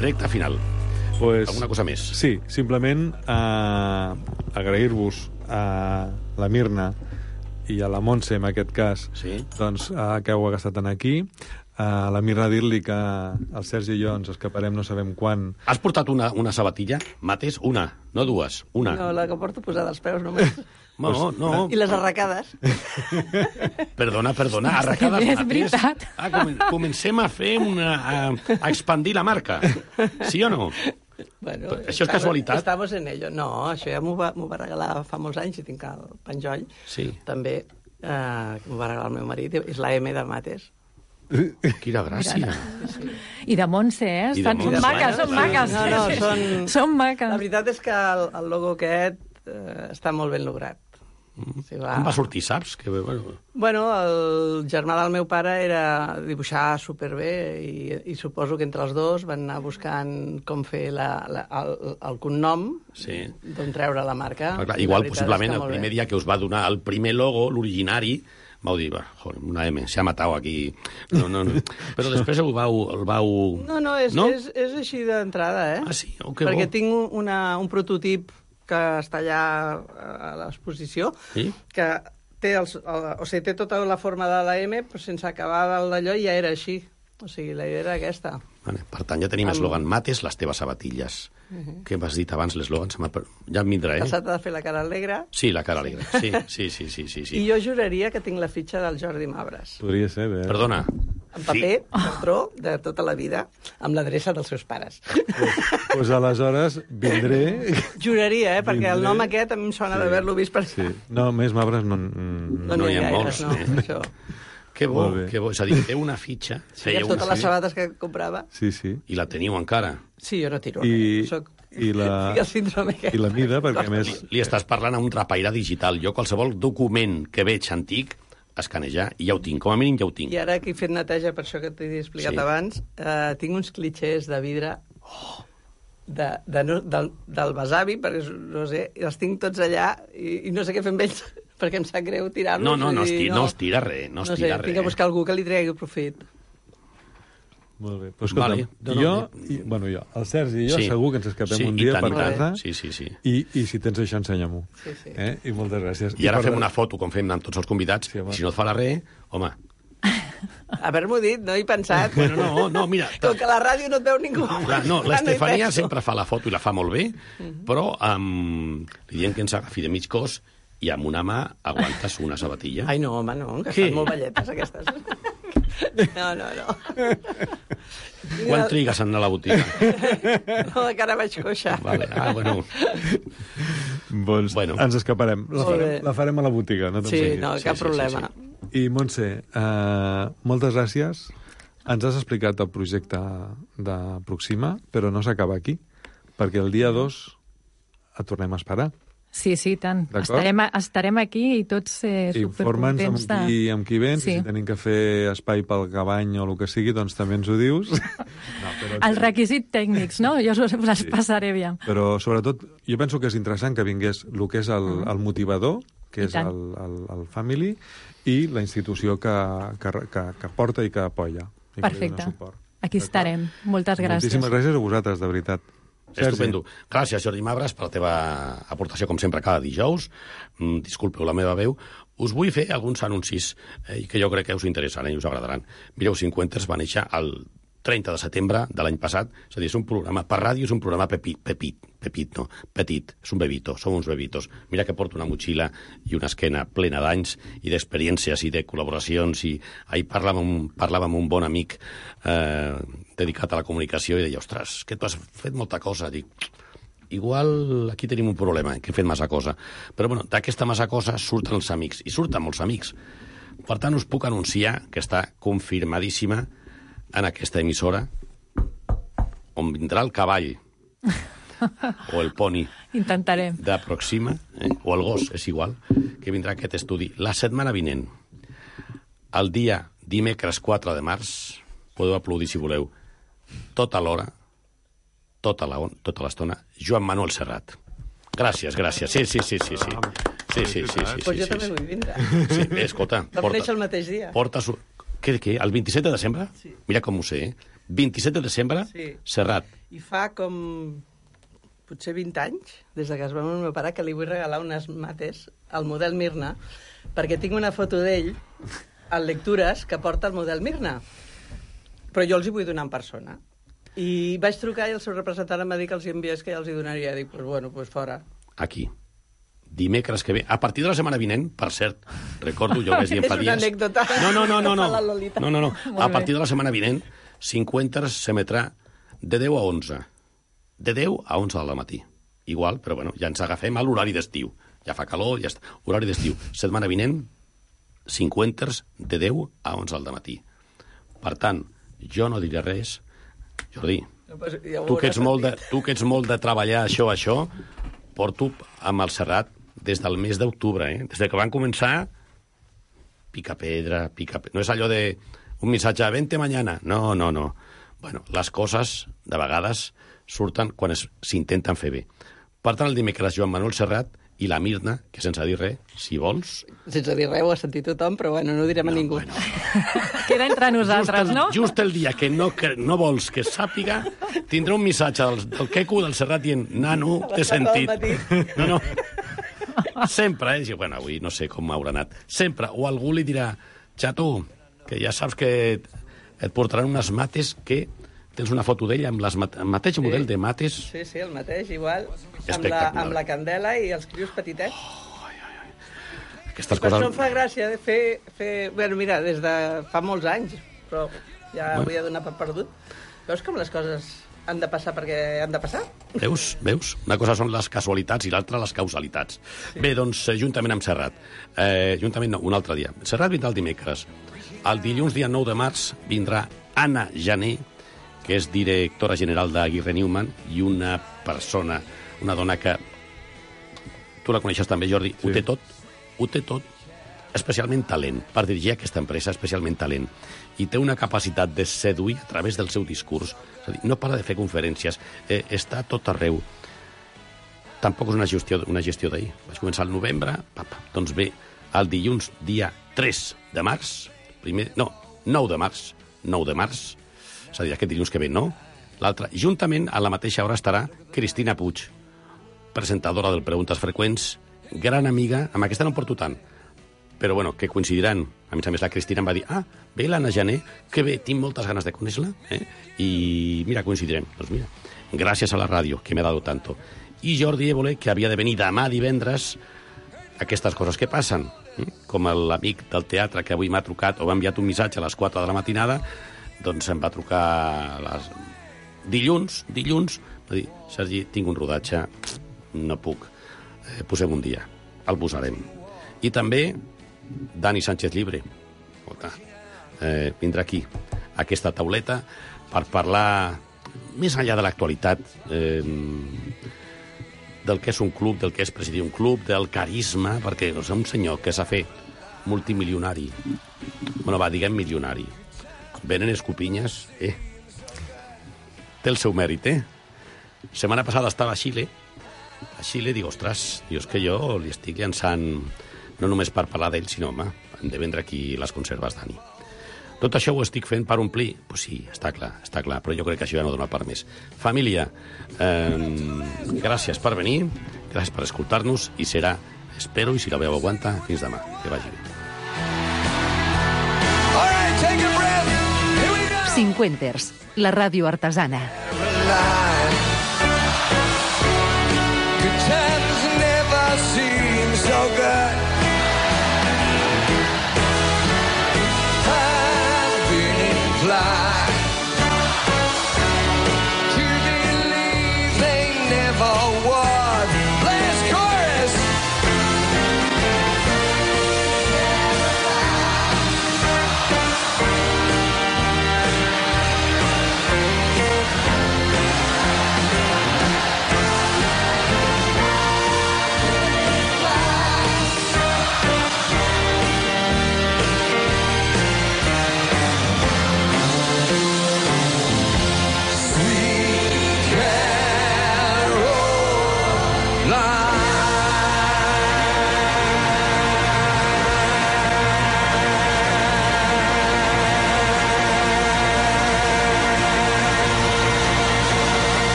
Recta final. Alguna cosa més? Sí, simplement agrair-vos a la Mirna i a la Montse, en aquest cas, doncs, que heu estat aquí. A la Mirna dir-li que el Sergi i jo ens escaparem no sabem quan. Has portat una sabatilla, mates? Una, no dues, una. No, la que porto posada als peus només. No. I les arracades. Perdona, arracades és veritat. Comencem a fer a expandir la marca. Sí o no? Bueno, això és casualitat? Estamos en ello. No, això ja m'ho va regalar fa molts anys, i tinc el penjoll. Sí. També m'ho va regalar el meu marit, és la M de mates. Quina gràcia. I de Montse, són maques. Són maques. La veritat és que el logo aquest està molt ben lograt. Com va sortir, saps? Bueno, el germà del meu pare era dibuixar superbé i suposo que entre els dos van anar buscant com fer el cognom, d'on treure la marca. Igual, possiblement, el primer dia que us va donar el primer logo, l'originari, vau dir, una M, s'ha matat aquí. No. Però després el vau... No, és així d'entrada, Ah, sí? Que perquè tinc un prototip que està allà a l'exposició, que té tota la forma de la M, però sense acabar d'allò ja era així. O sigui, la idea era aquesta. Per tant, ja tenim eslògan mates les teves sabatilles. Què m'has dit abans, l'eslògan? Ja em vindrà, Que s'ha de fer la cara alegre. Sí, la cara alegre. Sí. I jo juraria que tinc la fitxa del Jordi Mabres. Podria ser, bé. Perdona. En paper, patró, de tota la vida, amb l'adreça dels seus pares. Doncs aleshores vindré... Juraria, perquè el nom aquest a mi em sona d'haver-lo vist per... Sí. No, més Mabres no hi ha molts. Això. Que bo. És a dir, té una fitxa. Sí, totes les sabates que comprava. Sí. I la teniu encara. Sí, jo no tiro res. I la mida, perquè més... Li estàs parlant a un trapaire digital. Jo qualsevol document que veig antic, escanejar, i ja ho tinc, com a mínim ja ho tinc. I ara que he fet neteja, per això que t'he explicat abans, tinc uns clitxers de vidre del besavi, perquè no sé, els tinc tots allà i no sé què fer amb ells, perquè em sap greu tirar-los. No es tira res, no es tira res. Tinc que buscar algú que li tregui profit. Molt bé. Però escolta'm, el Sergi i jo segur que ens escapem un dia per casa. Sí. I si tens això, ensenya-m'ho. Sí. I moltes gràcies. I ara fem una foto, com fem amb tots els convidats, i si no et fa la res, home... Haver-m'ho dit, no he pensat. Bueno, no, mira... Com que a la ràdio no et veu ningú. No, l'Estefania sempre fa la foto i la fa molt bé, però li diem que ens agafi de mig cos i amb una mà aguantes una sabatilla. Ai, no, home, no, que estan molt velletes, aquestes. No. Quan trigues a anar a la botiga? No, que ara vaig coixa. Vale. Bueno. Doncs ens escaparem. La farem a la botiga, no? Sí, no, cap problema. I, Montse, moltes gràcies. Ens has explicat el projecte de Proxima, però no s'acaba aquí, perquè el dia 2 et tornem a esperar. Sí, tant. Estarem aquí i tots supercontents de... Informa'ns amb qui vens, si tenim que fer espai pel cabany o el que sigui, doncs també ens ho dius. Els requisits tècnics, no? Jo us els passaré bé. Però, sobretot, jo penso que és interessant que vingués el que és el motivador, que és el Family, i la institució que porta i que apoya. Perfecte. Aquí estarem. Moltes gràcies. Moltíssimes gràcies a vosaltres, de veritat. Estupendo. Gràcies, Jordi Mabres, per la teva aportació, com sempre, cada dijous. Disculpeu la meva veu. Us vull fer alguns anuncis que jo crec que us interessaran i us agradaran. Mireu, Cinquenters va néixer el 30 de setembre de l'any passat. És a dir, és un programa, per ràdio és un programa petit, és un bebito, som uns bebitos. Mira que porto una motxilla i una esquena plena d'anys i d'experiències i de col·laboracions, i ahir parlava amb un bon amic dedicat a la comunicació i deia, ostres, que tu has fet molta cosa. Dic, igual aquí tenim un problema, que he fet massa cosa. Però bueno, d'aquesta massa cosa surten els amics, i surten molts amics. Per tant, us puc anunciar que està confirmadíssima en aquesta emissora, on vindrà el cavall, o el poni Intentarem. d'Aproxima, o el gos, és igual, que vindrà aquest estudi. La setmana vinent, el dia dimecres 4 de març, podeu aplaudir si voleu, tota l'hora, tota l'estona, Joan Manuel Serrat. Gràcies. Sí. Pues jo també vull vindre. Sí, escolta. Vam néixer el mateix dia. Què? El 27 de desembre? Sí. Mira com ho sé, 27 de desembre, sí. Serrat. I fa com potser 20 anys, des que es va morir el meu pare, que li vull regalar unes mates al model Mirna, perquè tinc una foto d'ell al Lectures que porta el model Mirna. Però jo els hi vull donar en persona. I vaig trucar i el seu representant em va dir que els hi enviés, que ja els hi donaria. Dic, pues fora. Aquí. Dimecres que ve, a partir de la setmana vinent, per cert, recordo, jo ho vaig dir fa dies... És una anècdota. No. A partir de la setmana vinent, 50 s'emetrà de 10 a 11. De 10 a 11 del matí. Igual, però bueno, ja ens agafem a l'horari d'estiu. Ja fa calor, ja està. Horari d'estiu. Setmana vinent, 50 de 10 a 11 del matí. Per tant, jo no diré res. Jordi, tu que ets molt de treballar això, porto amb el Serrat des del mes d'octubre, Des que van començar, pica pedra. No és allò de un missatge, vente mañana. No. Bueno, les coses, de vegades, surten quan s'intenten fer bé. Per tant, el dimecres, Joan Manuel Serrat i la Mirna, que sense dir res, si vols... Sense dir res ho ha sentit tothom, però bueno, no ho direm a ningú. Bueno. Queda entre nosaltres, no? Just el dia que no vols que sàpiga, tindrà un missatge del Queco, del Serrat, dient, nano, t'he sentit. No. Sempre, bueno, avui no sé com m'haurà anat. Sempre, o algú li dirà, xato, que ja saps que et portaran unes mates que tens una foto d'ell amb el mateix model de mates. Sí, el mateix, igual, amb la candela i els crios petitets. Aquestes per coses... això em fa gràcia de fer... Bueno, mira, des de fa molts anys, però ja volia donar per perdut. Veus com les coses han de passar perquè han de passar? Veus? Una cosa són les casualitats i l'altra les causalitats. Sí. Bé, doncs, juntament amb Serrat. Juntament no, un altre dia. Serrat vindrà el dimecres. El dilluns, dia 9 de març, vindrà Anna Jané, que és directora general d'Aguirre Newman, i una persona, una dona que... Tu la coneixes també, Jordi. Sí. Ho té tot, especialment talent. Per dirigir aquesta empresa, especialment talent. I té una capacitat de seduir a través del seu discurs. És a dir, no para de fer conferències, està a tot arreu. Tampoc és una gestió d'ahir. Vaig començar al novembre, doncs bé, el dilluns, dia 3 de març, 9 de març, és a dir, aquest dilluns que ve, no? L'altre, juntament, a la mateixa hora estarà Cristina Puig, presentadora del Preguntes Freqüents, gran amiga, amb aquesta no en porto tant, però bueno, que coincidiran. A més, la Cristina em va dir, ve l'Anna Jané, que bé, tinc moltes ganes de conèixer-la, i mira, coincidirem. Doncs mira, gràcies a la ràdio, que m'he dado tanto. I Jordi Évole, que havia de venir demà divendres, aquestes coses que passen, com l'amic del teatre que avui m'ha trucat o m'ha enviat un missatge a les 4 de la matinada, doncs em va trucar dilluns, va dir, Sergi, tinc un rodatge, no puc, posem un dia, el posarem. I també Dani Sánchez Llibre, vindrà aquí, a aquesta tauleta, per parlar més enllà de l'actualitat, del que és un club, del que és presidir un club, del carisma, perquè és un senyor que s'ha fet multimilionari, diguem milionari, venen escopinyes, té el seu mèrit, Setmana passada estava a Xile, dic, ostres, és que jo li estic llançant, no només per parlar d'ell, sinó, home, hem de vendre aquí les conserves, Dani. Tot això ho estic fent per omplir? Pues sí, està clar, però jo crec que això ja no dona per més. Família, gràcies per venir, gràcies per escoltar-nos, i serà, espero, i si la veu aguanta, fins demà. Que vagi bé. 50ers, la ràdio artesana.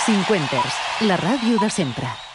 Cinquenters, la ràdio de sempre.